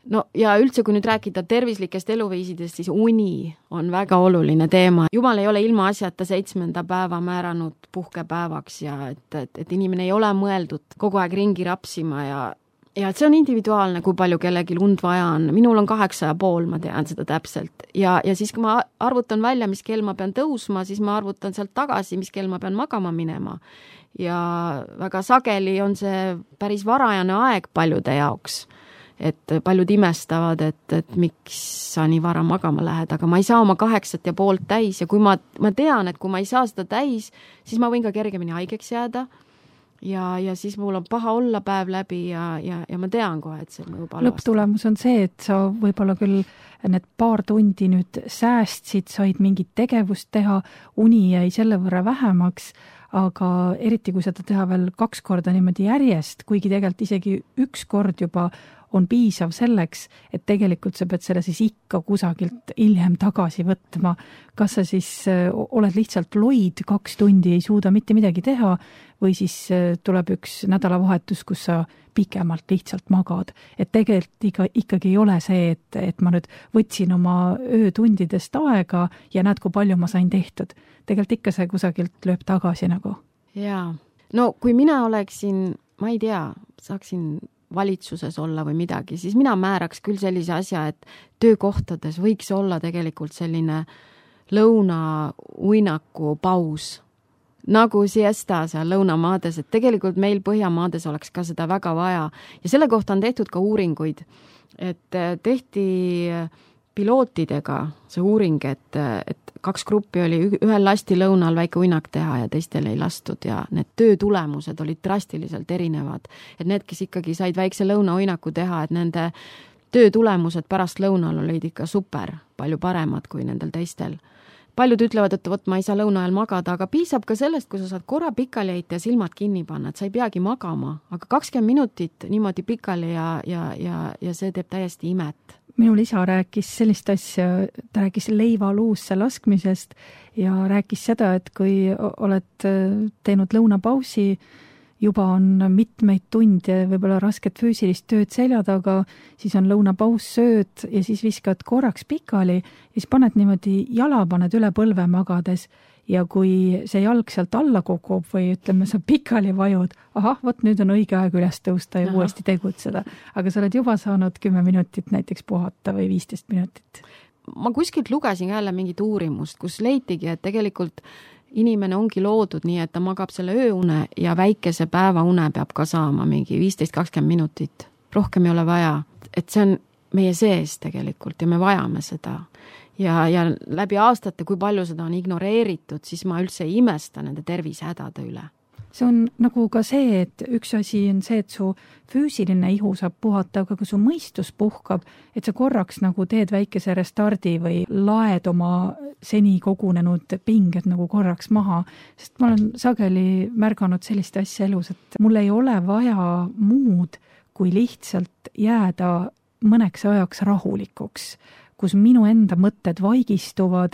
No ja üldse, kui nüüd rääkida tervislikest eluviisidest, siis uni on väga oluline teema. Jumal ei ole ilma asjata 7. päeva määranud puhkepäevaks ja et inimene ei ole mõeldud kogu aeg ringi rapsima ja see on individuaalne, kui palju kellegi und vaja on. Minul on 8,5, ma tean seda täpselt. Ja siis, kui ma arvutan välja, mis kell ma pean tõusma, siis ma arvutan sealt tagasi, mis kell ma pean magama minema. Ja väga sageli on see päris varajane aeg paljude jaoks. Et paljud imestavad, et miks sa nii vara magama lähed, aga ma ei saa oma 8,5 täis ja kui ma tean, et kui ma ei saa seda täis, siis ma võin ka kergemini haigeks jääda. Ja siis mul on paha olla päev läbi ja ma tean kohe, et see mõjub halvasti. Lõpptulemus on see, et sa võib-olla küll need paar tundi nüüd säästsid, said mingit tegevust teha, uni jäi selle võrra vähemaks, aga eriti kui seda teha veel 2 korda niimoodi järjest, kuigi tegelikult isegi 1 kord juba on piisav selleks, et tegelikult sa pead selle siis ikka kusagilt hiljem tagasi võtma. Kas sa siis oled lihtsalt loid 2 tundi, ei suuda mitte midagi teha või siis tuleb üks nädalavahetus, kus sa pikemalt lihtsalt magad. Et tegelikult ikkagi ei ole see, et ma nüüd võtsin oma öötundidest aega ja näed, kui palju ma sain tehtud. Tegelikult ikka see kusagilt lööb tagasi nagu. Jaa. No kui mina oleksin, ma ei tea, saaksin valitsuses olla või midagi, siis mina määraks küll sellise asja, et töökohtades võiks olla tegelikult selline lõunauinaku paus, nagu siesta seal lõunamaades, et tegelikult meil Põhjamaades oleks ka seda väga vaja. Ja selle kohta on tehtud ka uuringuid, et tehti pilootidega see uuring, et 2 gruppi oli, ühel lasti lõunal väike uinak teha ja teistel ei lastud ja need töötulemused olid drastiliselt erinevad. Et need, kes ikkagi said väikse lõunauinaku teha, et nende töötulemused pärast lõunal olid ikka super, palju paremad kui nendel teistel. Paljud ütlevad, et võt, ma ei saa lõuna ajal magada, aga piisab ka sellest, kui sa saad korra pikali heita ja silmad kinni panna, et sa ei peagi magama, aga 20 minutit niimoodi pikali ja see teeb täiesti imet. Minul isa rääkis sellist asja, ta rääkis leiva luusse laskmisest ja rääkis seda, et kui oled teinud lõunapausi, juba on mitmeid tunde, võib-olla rasket füüsilist tööd selja taga, siis on lõunapaus, sööd ja siis viskad korraks pikali ja siis paned niimoodi jala, paned üle põlve magades ja kui see jalg sealt alla kukub või ütleme, sa pikali vajud, võt nüüd on õige aeg üles tõusta ja uuesti tegutseda. Aga sa oled juba saanud 10 minutit näiteks puhata või 15 minutit. Ma kuskilt lugesin jälle mingit uurimust, kus leitigi, et tegelikult inimene ongi loodud nii, et ta magab selle ööune ja väikese päevaune peab ka saama mingi 15-20 minutit. Rohkem ei ole vaja. Et see on meie sees tegelikult ja me vajame seda. Ja läbi aastate, kui palju seda on ignoreeritud, siis ma üldse ei imesta nende tervisehädade üle. See on nagu ka see, et üks asi on see, et su füüsiline ihu saab puhata, aga kui su mõistus puhkab, et sa korraks nagu teed väikese restardi või laed oma seni kogunenud pinged nagu korraks maha. Sest ma olen sageli märganud sellist asja elus, et mul ei ole vaja muud, kui lihtsalt jääda mõneks ajaks rahulikuks, kus minu enda mõtted vaigistuvad,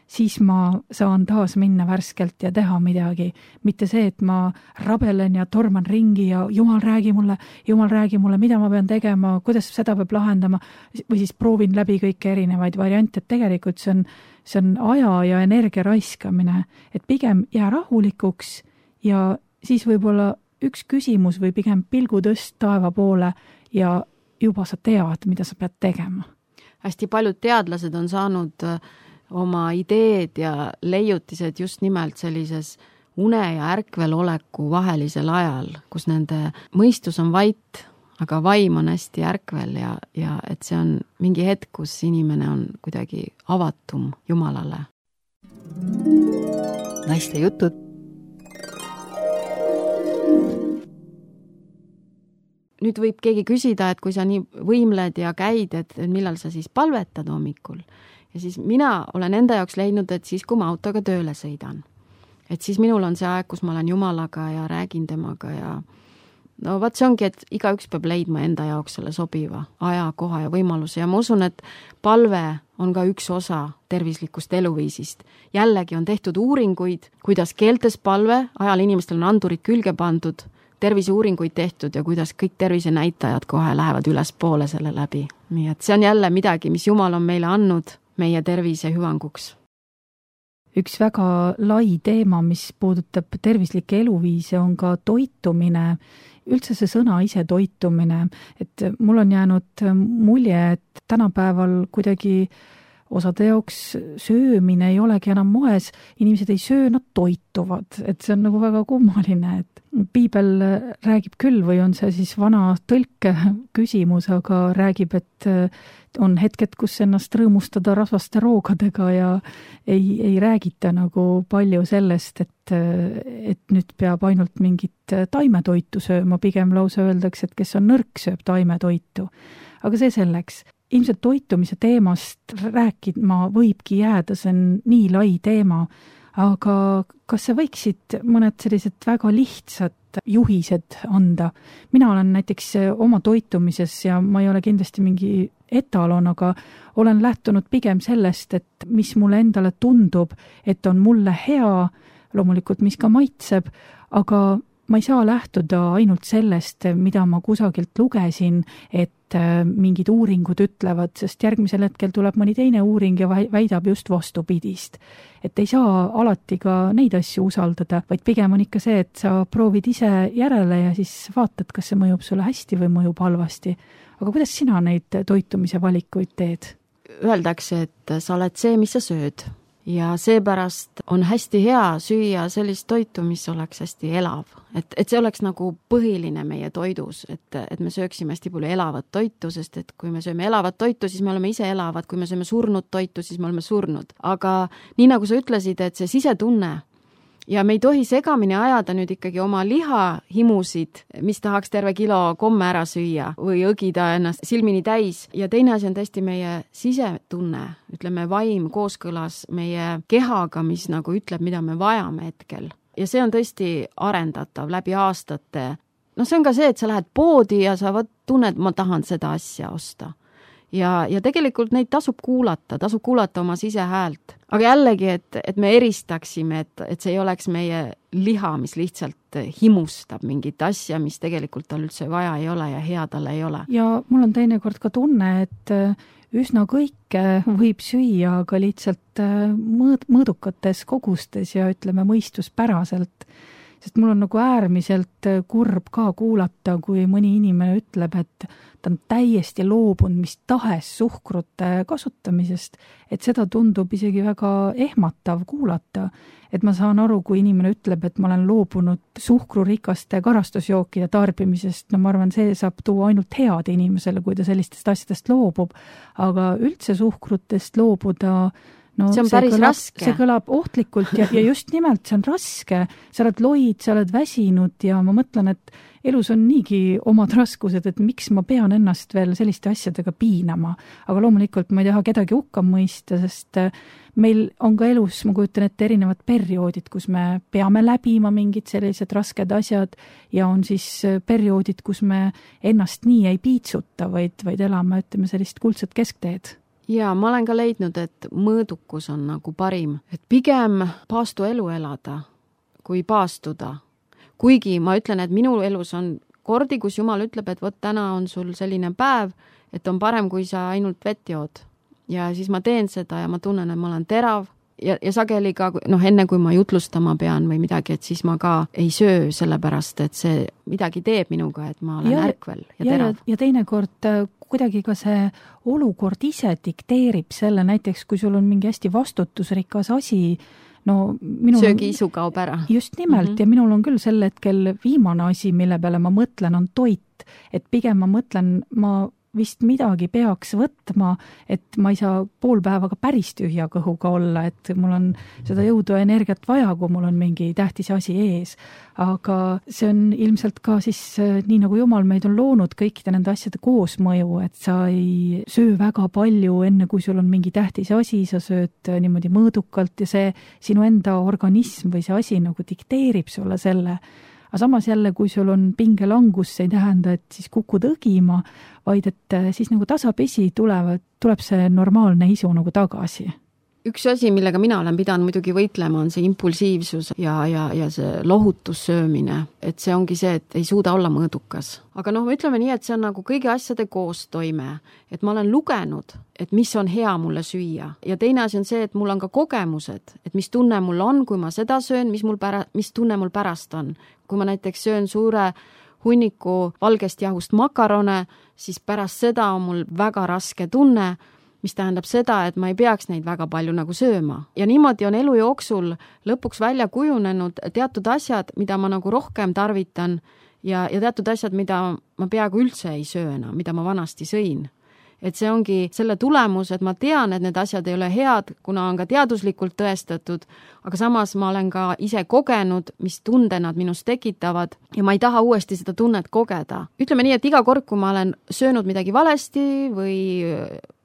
siis ma saan taas minna värskelt ja teha midagi. Mitte see, et ma rabelen ja torman ringi ja Jumal räägi mulle, mida ma pean tegema, kuidas seda peab lahendama või siis proovin läbi kõike erinevaid variante, et tegelikult see on aja ja energia raiskamine, et pigem jää rahulikuks ja siis võib-olla üks küsimus või pigem pilgu tõst taeva poole ja juba sa tead, mida sa pead tegema. Hästi paljud teadlased on saanud oma ideed ja leiutised just nimelt sellises une ja ärkvel oleku vahelisel ajal, kus nende mõistus on vait, aga vaim on hästi ärkvel ja et see on mingi hetk, kus inimene on kuidagi avatum Jumalale. Naiste jutud. Nüüd võib keegi küsida, et kui sa nii võimled ja käid, et millal sa siis palvetad hommikul. Ja siis mina olen enda jaoks leidnud, et siis kui ma autoga tööle sõidan. Et siis minul on see aeg, kus ma olen Jumalaga ja räägin temaga ja no vaat see ongi, et igaüks peab leidma enda jaoks selle sobiva aja, koha ja võimaluse ja ma usun, et palve on ka üks osa tervislikust eluviisist. Jällegi on tehtud uuringuid, kuidas keeltes palve, ajal inimestel on andurid külge pandud, terviseuuringuid tehtud ja kuidas kõik tervisenäitajad kohe lähevad üles poole selle läbi. Nii et see on jälle midagi, mis Jumal on meile andnud meie tervise hüvanguks. Üks väga lai teema, mis puudutab tervislikke eluviise, on ka toitumine, üldse see sõna ise toitumine, et mul on jäänud mulje, et tänapäeval kuidagi osade jaoks söömine ei olegi enam moes, inimesed ei söö, nad toituvad, et see on nagu väga kummaline, et piibel räägib küll või on see siis vana tõlke küsimus, aga räägib, et on hetked, kus ennast rõõmustada rasvaste roogadega ja ei räägita nagu palju sellest, et nüüd peab ainult mingit taimetoitu sööma, pigem lausa öeldakse, et kes on nõrk, sööb taimetoitu. Aga see selleks. Ilmselt toitumise teemast rääkima võibki jääda, see on nii lai teema, aga kas sa võiksid mõned sellised väga lihtsad juhised anda? Mina olen näiteks oma toitumises ja ma ei ole kindlasti mingi etalon, aga olen lähtunud pigem sellest, et mis mulle endale tundub, et on mulle hea, loomulikult mis ka maitseb, aga ma ei saa lähtuda ainult sellest, mida ma kusagilt lugesin, et mingid uuringud ütlevad, sest järgmisel hetkel tuleb mõni teine uuring ja väidab just vastupidist. Et ei saa alati ka neid asju usaldada, vaid pigem on ikka see, et sa proovid ise järele ja siis vaatad, kas see mõjub sulle hästi või mõjub halvasti. Aga kuidas sina neid toitumise valikuid teed? Öeldakse, et sa oled see, mis sa sööd. Ja seepärast on hästi hea süüa sellist toitu, mis oleks hästi elav. Et see oleks nagu põhiline meie toidus, et me sööksime hästi palju elavat toitu, sest et kui me sööme elavat toitu, siis me oleme ise elavad, kui me sööme surnud toitu, siis me oleme surnud. Aga nii nagu sa ütlesid, et see sisetunne ja me ei tohi segamini ajada nüüd ikkagi oma lihahimusid, mis tahaks terve kilo komme ära süüa või õgida ennast silmini täis. Ja teine asi on tõesti meie sisetunne, ütleme vaim kooskõlas meie kehaga, mis nagu ütleb, mida me vajame hetkel. Ja see on tõesti arendatav läbi aastate. No see on ka see, et sa lähed poodi ja sa tunned, ma tahan seda asja osta. Ja tegelikult neid tasub kuulata oma sisehäält. Aga jällegi, et me eristaksime, et see ei oleks meie liha, mis lihtsalt himustab mingit asja, mis tegelikult tal üldse vaja ei ole ja hea talle ei ole. Ja mul on teinekord ka tunne, et üsna kõike võib süüa, aga lihtsalt mõõdukates kogustes ja ütleme mõistuspäraselt. Sest mul on nagu äärmiselt kurb ka kuulata, kui mõni inimene ütleb, et ta on täiesti loobunud mis tahes suhkrute kasutamisest, et seda tundub isegi väga ehmatav kuulata. Et ma saan aru, kui inimene ütleb, et ma olen loobunud suhkrurikaste karastusjookide tarbimisest, no ma arvan, see saab tuua ainult head inimesele, kui ta sellistest asjadest loobub, aga üldse suhkrutest loobuda, no, see on päris raske. See kõlab ohtlikult ja just nimelt see on raske. Sa oled loid, sa oled väsinud ja ma mõtlen, et elus on niigi omad raskused, et miks ma pean ennast veel selliste asjadega piinama. Aga loomulikult ma ei taha kedagi hukka mõista, sest meil on ka elus, ma kujutan ette, erinevad perioodid, kus me peame läbima mingid sellised rasked asjad ja on siis perioodid, kus me ennast nii ei piitsuta, vaid elame, ütleme, sellist kuldset keskteed. Ja ma olen ka leidnud, et mõõdukus on nagu parim, et pigem paastu elu elada, kui paastuda. Kuigi ma ütlen, et minu elus on kordi, kus Jumal ütleb, et võt täna on sul selline päev, et on parem, kui sa ainult vett jood. Ja siis ma teen seda ja ma tunnen, et ma olen terav ja sageli ka, enne kui ma jutlustama pean või midagi, et siis ma ka ei söö sellepärast, et see midagi teeb minuga, et ma olen ärkvel ja terav. Ja teinekord kuidagi ka see olukord ise dikteerib selle, näiteks kui sul on mingi hästi vastutusrikas asi, söögiisu kaob ära. Just nimelt, ja minul on küll sel hetkel viimane asi, mille peale ma mõtlen, on toit. Et pigem ma mõtlen, ma vist midagi peaks võtma, et ma ei saa pool päeva ka päris tühja kõhuga olla, et mul on seda jõudu ja energiat vaja, kui mul on mingi tähtis asi ees. Aga see on ilmselt ka siis nii nagu Jumal meid on loonud kõikide nende asjade koosmõju, et sa ei söö väga palju enne, kui sul on mingi tähtis asi, sa sööd niimoodi mõõdukalt ja see sinu enda organism või see asi nagu dikteerib sulle selle. Aga samas jälle, kui sul on pingelangus, see ei tähenda, et siis kukud õgima, vaid et siis nagu tasapisi tuleb see normaalne isu nagu tagasi. Üks asi, millega mina olen pidanud muidugi võitlema, on see impulsiivsus ja see lohutussöömine. Et see ongi see, et ei suuda olla mõõdukas. Aga ütleme nii, et see on nagu kõigi asjade koostoime. Et ma olen lugenud, et mis on hea mulle süüa. Ja teine asi on see, et mul on ka kogemused, et mis tunne mul on, kui ma seda söön, mis tunne mul pärast on. Kui ma näiteks söön suure hunniku valgest jahust makarone, siis pärast seda on mul väga raske tunne, mis tähendab seda, et ma ei peaks neid väga palju nagu sööma. Ja niimoodi on elu jooksul lõpuks välja kujunenud teatud asjad, mida ma nagu rohkem tarvitan ja teatud asjad, mida ma peaaegu üldse ei sööna, mida ma vanasti sõin. Et see ongi selle tulemus, et ma tean, et need asjad ei ole head, kuna on ka teaduslikult tõestatud, aga samas ma olen ka ise kogenud, mis tunde nad minust tekitavad ja ma ei taha uuesti seda tunnet kogeda. Ütleme nii, et iga kord, kui ma olen söönud midagi valesti või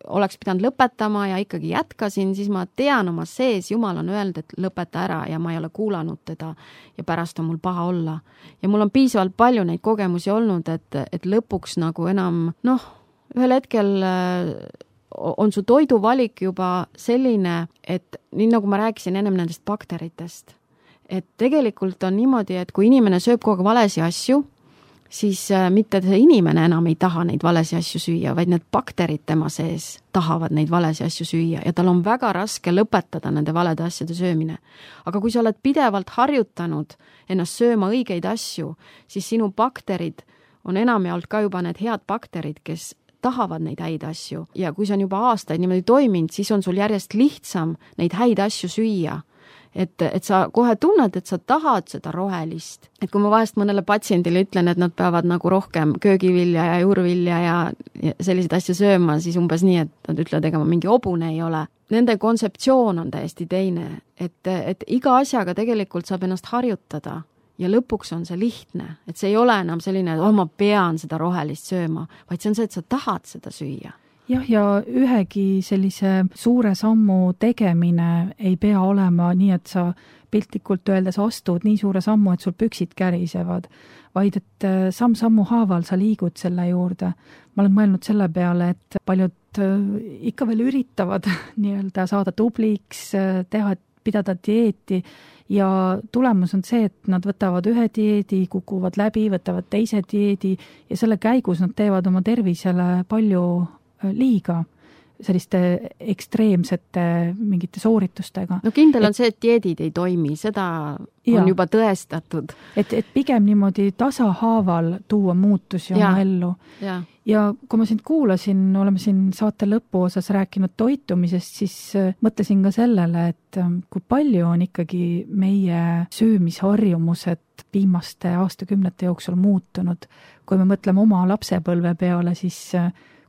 oleks pidanud lõpetama ja ikkagi jätkasin, siis ma tean oma sees, Jumal on öelnud, et lõpeta ära ja ma ei ole kuulanud teda ja pärast on mul paha olla. Ja mul on piisavalt palju neid kogemusi olnud, et lõpuks nagu enam, ühel hetkel on su toiduvalik juba selline, et nii nagu ma rääkisin ennem nendest bakteritest, et tegelikult on niimoodi, et kui inimene sööb kogu aeg valesi asju, siis mitte see inimene enam ei taha neid valesi asju süüa, vaid need bakterid tema sees tahavad neid valesi asju süüa ja tal on väga raske lõpetada nende valede asjade söömine. Aga kui sa oled pidevalt harjutanud ennast sööma õigeid asju, siis sinu bakterid on enamjaolt ka juba need head bakterid, kes tahavad neid häid asju ja kui see on juba aastaid niimoodi toiminud, siis on sul järjest lihtsam neid häid asju süüa. Et sa kohe tunned, et sa tahad seda rohelist. Et kui ma vahest mõnele patsiendile ütlen, et nad peavad nagu rohkem köögivilja ja juurvilja ja selliseid asju sööma, siis umbes nii, et nad ütlevad, ega ma mingi hobune ei ole. Nende kontseptsioon on täiesti teine, et iga asjaga tegelikult saab ennast harjutada ja lõpuks on see lihtne, et see ei ole enam selline, et ma pean seda rohelist sööma, vaid see on see, et sa tahad seda süüa. Jah, ja ühegi sellise suure sammu tegemine ei pea olema nii, et sa piltlikult öeldes astud nii suure sammu, et sul püksid kärisevad, vaid et samm-sammu haaval sa liigud selle juurde. Ma olen mõelnud selle peale, et paljud ikka veel üritavad nii-öelda saada tubliks, pidada dieeti ja tulemus on see, et nad võtavad ühe dieedi, kukuvad läbi, võtavad teise dieedi ja selle käigus nad teevad oma tervisele palju liiga selliste ekstreemsete mingite sooritustega. No kindel on see, et dieedid ei toimi, seda on juba tõestatud. Et pigem niimoodi tasahaaval tuua muutusi oma ellu. Ja kui ma sind kuulasin, oleme siin saate lõpu osas rääkinud toitumisest, siis mõtlesin ka sellele, et kui palju on ikkagi meie söömisharjumused viimaste aastakümnete jooksul muutunud. Kui me mõtleme oma lapsepõlve peale, siis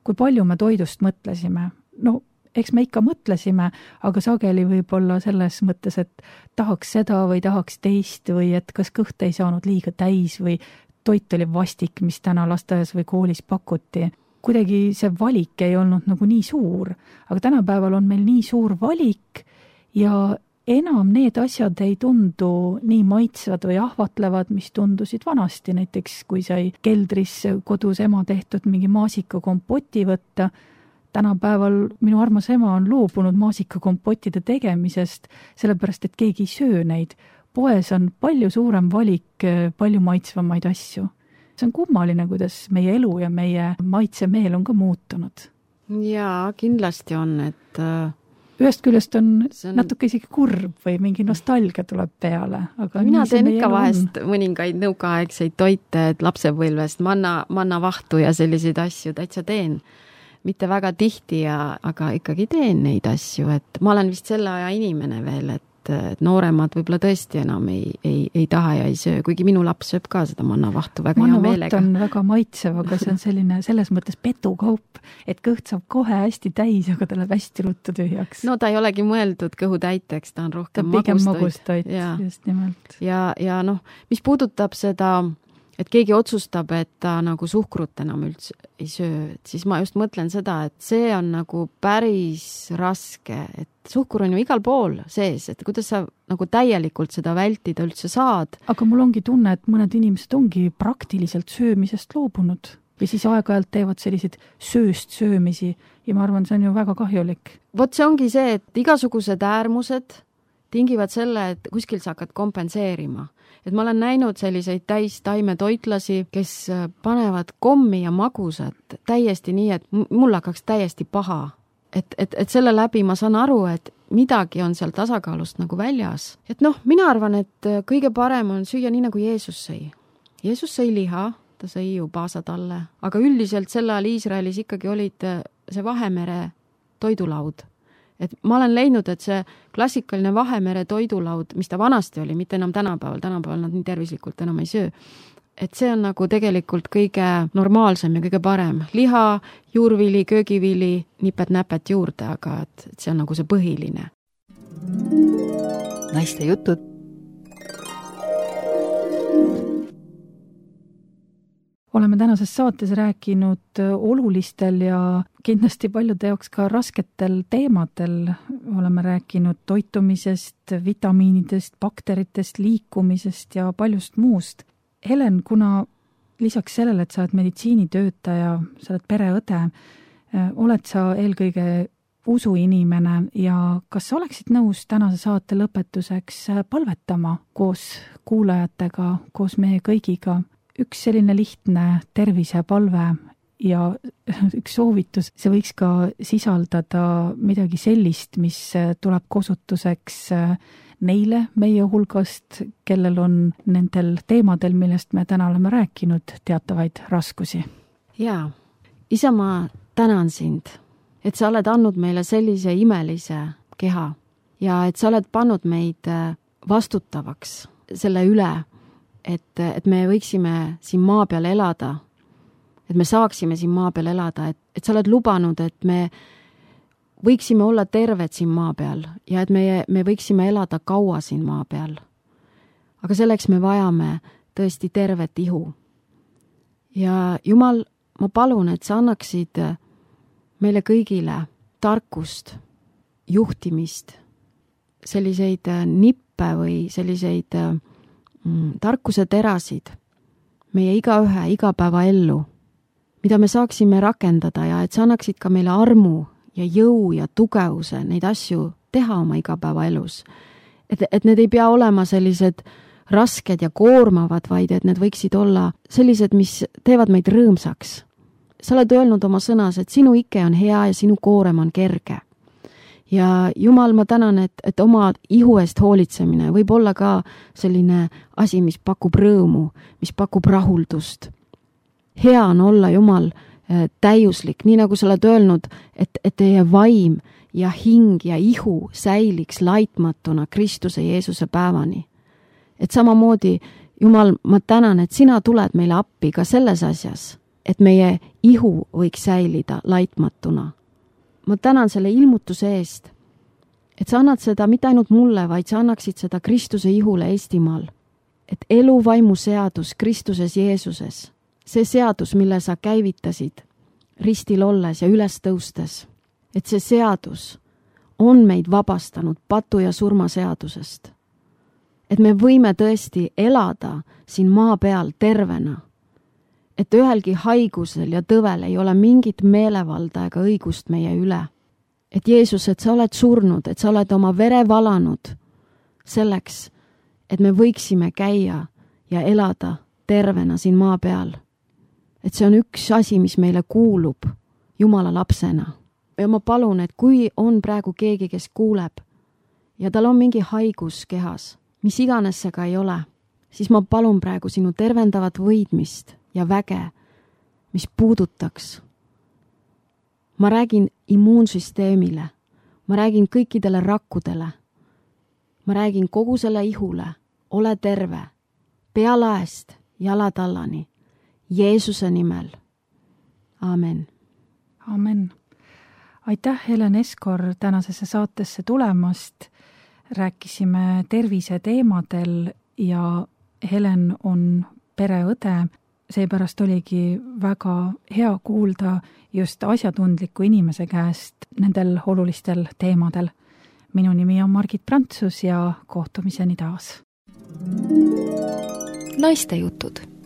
kui palju me toidust mõtlesime. No, eks me ikka mõtlesime, aga sageli võib-olla selles mõttes, et tahaks seda või tahaks teist või et kas kõht ei saanud liiga täis või toit oli vastik, mis täna lasteaias või koolis pakuti. Kuidagi see valik ei olnud nagu nii suur, aga tänapäeval on meil nii suur valik ja enam need asjad ei tundu nii maitsvad või ahvatlevad, mis tundusid vanasti. Näiteks kui sai keldris kodus ema tehtud mingi maasikakompoti võtta, tänapäeval minu armas ema on loobunud maasikakompotide tegemisest, sellepärast et keegi ei söö neid. Poes on palju suurem valik, palju maitsvamaid asju. See on kummaline, kuidas meie elu ja meie maitsemeel on ka muutunud. Jaa, kindlasti on, et ühest küljest on natuke isegi kurb või mingi nostalgia tuleb peale. Aga mina teen ikka vahest mõningaid nõukaaegseid toite, et lapsepõlvest manna vahtu ja selliseid asju täitsa teen. Mitte väga tihti, aga ikkagi teen neid asju, et ma olen vist selle aja inimene veel, et nooremad võib-olla tõesti enam ei taha ja ei söö, kuigi minu laps sööb ka seda mannavahtu väga hea meelega. Mannavaht on väga maitsev, aga see on selline selles mõttes petukaup, et kõht saab kohe hästi täis, aga ta läheb hästi ruttu tühjaks. No ta ei olegi mõeldud kõhu täiteks, ta on rohkem magustoit. Just nimelt. Ja mis puudutab seda, et keegi otsustab, et ta nagu suhkrut enam üldse ei söö, siis ma just mõtlen seda, et see on nagu päris raske, et suhkur on ju igal pool sees, et kuidas sa nagu täielikult seda vältida üldse saad. Aga mul ongi tunne, et mõned inimesed ongi praktiliselt söömisest loobunud või siis aeg-ajalt teevad selliseid sööst söömisi ja ma arvan, see on ju väga kahjulik. Vot see ongi see, et igasugused äärmused tingivad selle, et kuskil sa hakkad kompenseerima. Et ma olen näinud selliseid täis taimetoitlasi, kes panevad kommi ja magusat täiesti nii, et mul hakkaks täiesti paha. Et selle läbi ma saan aru, et midagi on seal tasakaalust nagu väljas. Et mina arvan, et kõige parem on süüa nii, nagu Jeesus sõi. Jeesus sõi liha, ta sõi ju paasatalle, aga üldiselt sel ajal Iisraelis ikkagi olid see Vahemere toidulaud. Et ma olen leidnud, et see klassikaline Vahemere toidulaud, mis ta vanasti oli, mitte enam tänapäeval nad nii tervislikult enam ei söö, et see on nagu tegelikult kõige normaalsem ja kõige parem. Liha, juurvili, köögivili, nipet-näpet juurde, aga et see on nagu see põhiline. Naiste jutud. oleme tänases saates rääkinud olulistel ja kindlasti paljude jaoks ka rasketel teemadel. Oleme rääkinud toitumisest, vitamiinidest, bakteritest, liikumisest ja paljust muust. Helen, kuna lisaks sellele, et sa oled meditsiinitöötaja, sa oled pereõde, oled sa eelkõige usuinimene ja kas sa oleksid nõus tänase saate lõpetuseks palvetama koos kuulajatega, koos meie kõigiga? Üks selline lihtne tervisepalve ja üks soovitus, see võiks ka sisaldada midagi sellist, mis tuleb kasutuseks neile meie hulgast, kellel on nendel teemadel, millest me täna oleme rääkinud, teatavaid raskusi. Jaa, Isa, ma tänan sind, et sa oled andnud meile sellise imelise keha ja et sa oled pannud meid vastutavaks selle üle, et me võiksime siin maa peal elada, et me saaksime siin maa peal elada, et sa oled lubanud, et me võiksime olla terved siin maa peal ja et me võiksime elada kaua siin maa peal. Aga selleks me vajame tõesti tervet ihu. Ja Jumal, ma palun, et sa annaksid meile kõigile tarkust, juhtimist, selliseid nippe või selliseid tarkuse terasid meie igaühe igapäevaellu, mida me saaksime rakendada ja et sa annaksid ka meile armu ja jõu ja tugevuse neid asju teha oma igapäevaelus. Et need ei pea olema sellised rasked ja koormavad, vaid et need võiksid olla sellised, mis teevad meid rõõmsaks. Sa oled öelnud oma sõnas, et sinu ike on hea ja sinu koorem on kerge. Ja Jumal, ma tänan, et oma ihu eest hoolitsemine võib olla ka selline asi, mis pakub rõõmu, mis pakub rahuldust. Hea on olla, Jumal, täiuslik, nii nagu sa oled öelnud, et teie vaim ja hing ja ihu säiliks laitmatuna Kristuse Jeesuse päevani. Et samamoodi, Jumal, ma tänan, et sina tuled meile appi ka selles asjas, et meie ihu võiks säilida laitmatuna. Ma tänan selle ilmutuse eest, et sa annad seda mitte ainult mulle, vaid sa annaksid seda Kristuse ihule Eestimaal. Et elu vaimu seadus Kristuses Jeesuses, see seadus, mille sa käivitasid ristil olles ja üles tõustes, et see seadus on meid vabastanud patu ja surma seadusest. Et me võime tõesti elada siin maa peal tervena. Et ühelgi haigusel ja tõvel ei ole mingit meelevalda ega õigust meie üle. Et Jeesus, et sa oled surnud, et sa oled oma vere valanud selleks, et me võiksime käia ja elada tervena siin maa peal. Et see on üks asi, mis meile kuulub Jumala lapsena. Ja ma palun, et kui on praegu keegi, kes kuuleb ja tal on mingi haigus kehas, mis iganes see ka ei ole, siis ma palun praegu sinu tervendavat võidmist ja väge, mis puudutaks. Ma räägin immuunsüsteemile, ma räägin kõikidele rakkudele, ma räägin kogu selle ihule, ole terve, pealaest jalatallani, Jeesuse nimel. Amen. Amen. Aitäh, Helen Eskor, tänasesse saatesse tulemast. Rääkisime tervise teemadel ja Helen on pereõde. Seepärast oligi väga hea kuulda just asjatundliku inimese käest nendel olulistel teemadel. Minu nimi on Margit Prantsus ja kohtumiseni taas. Naistejutud.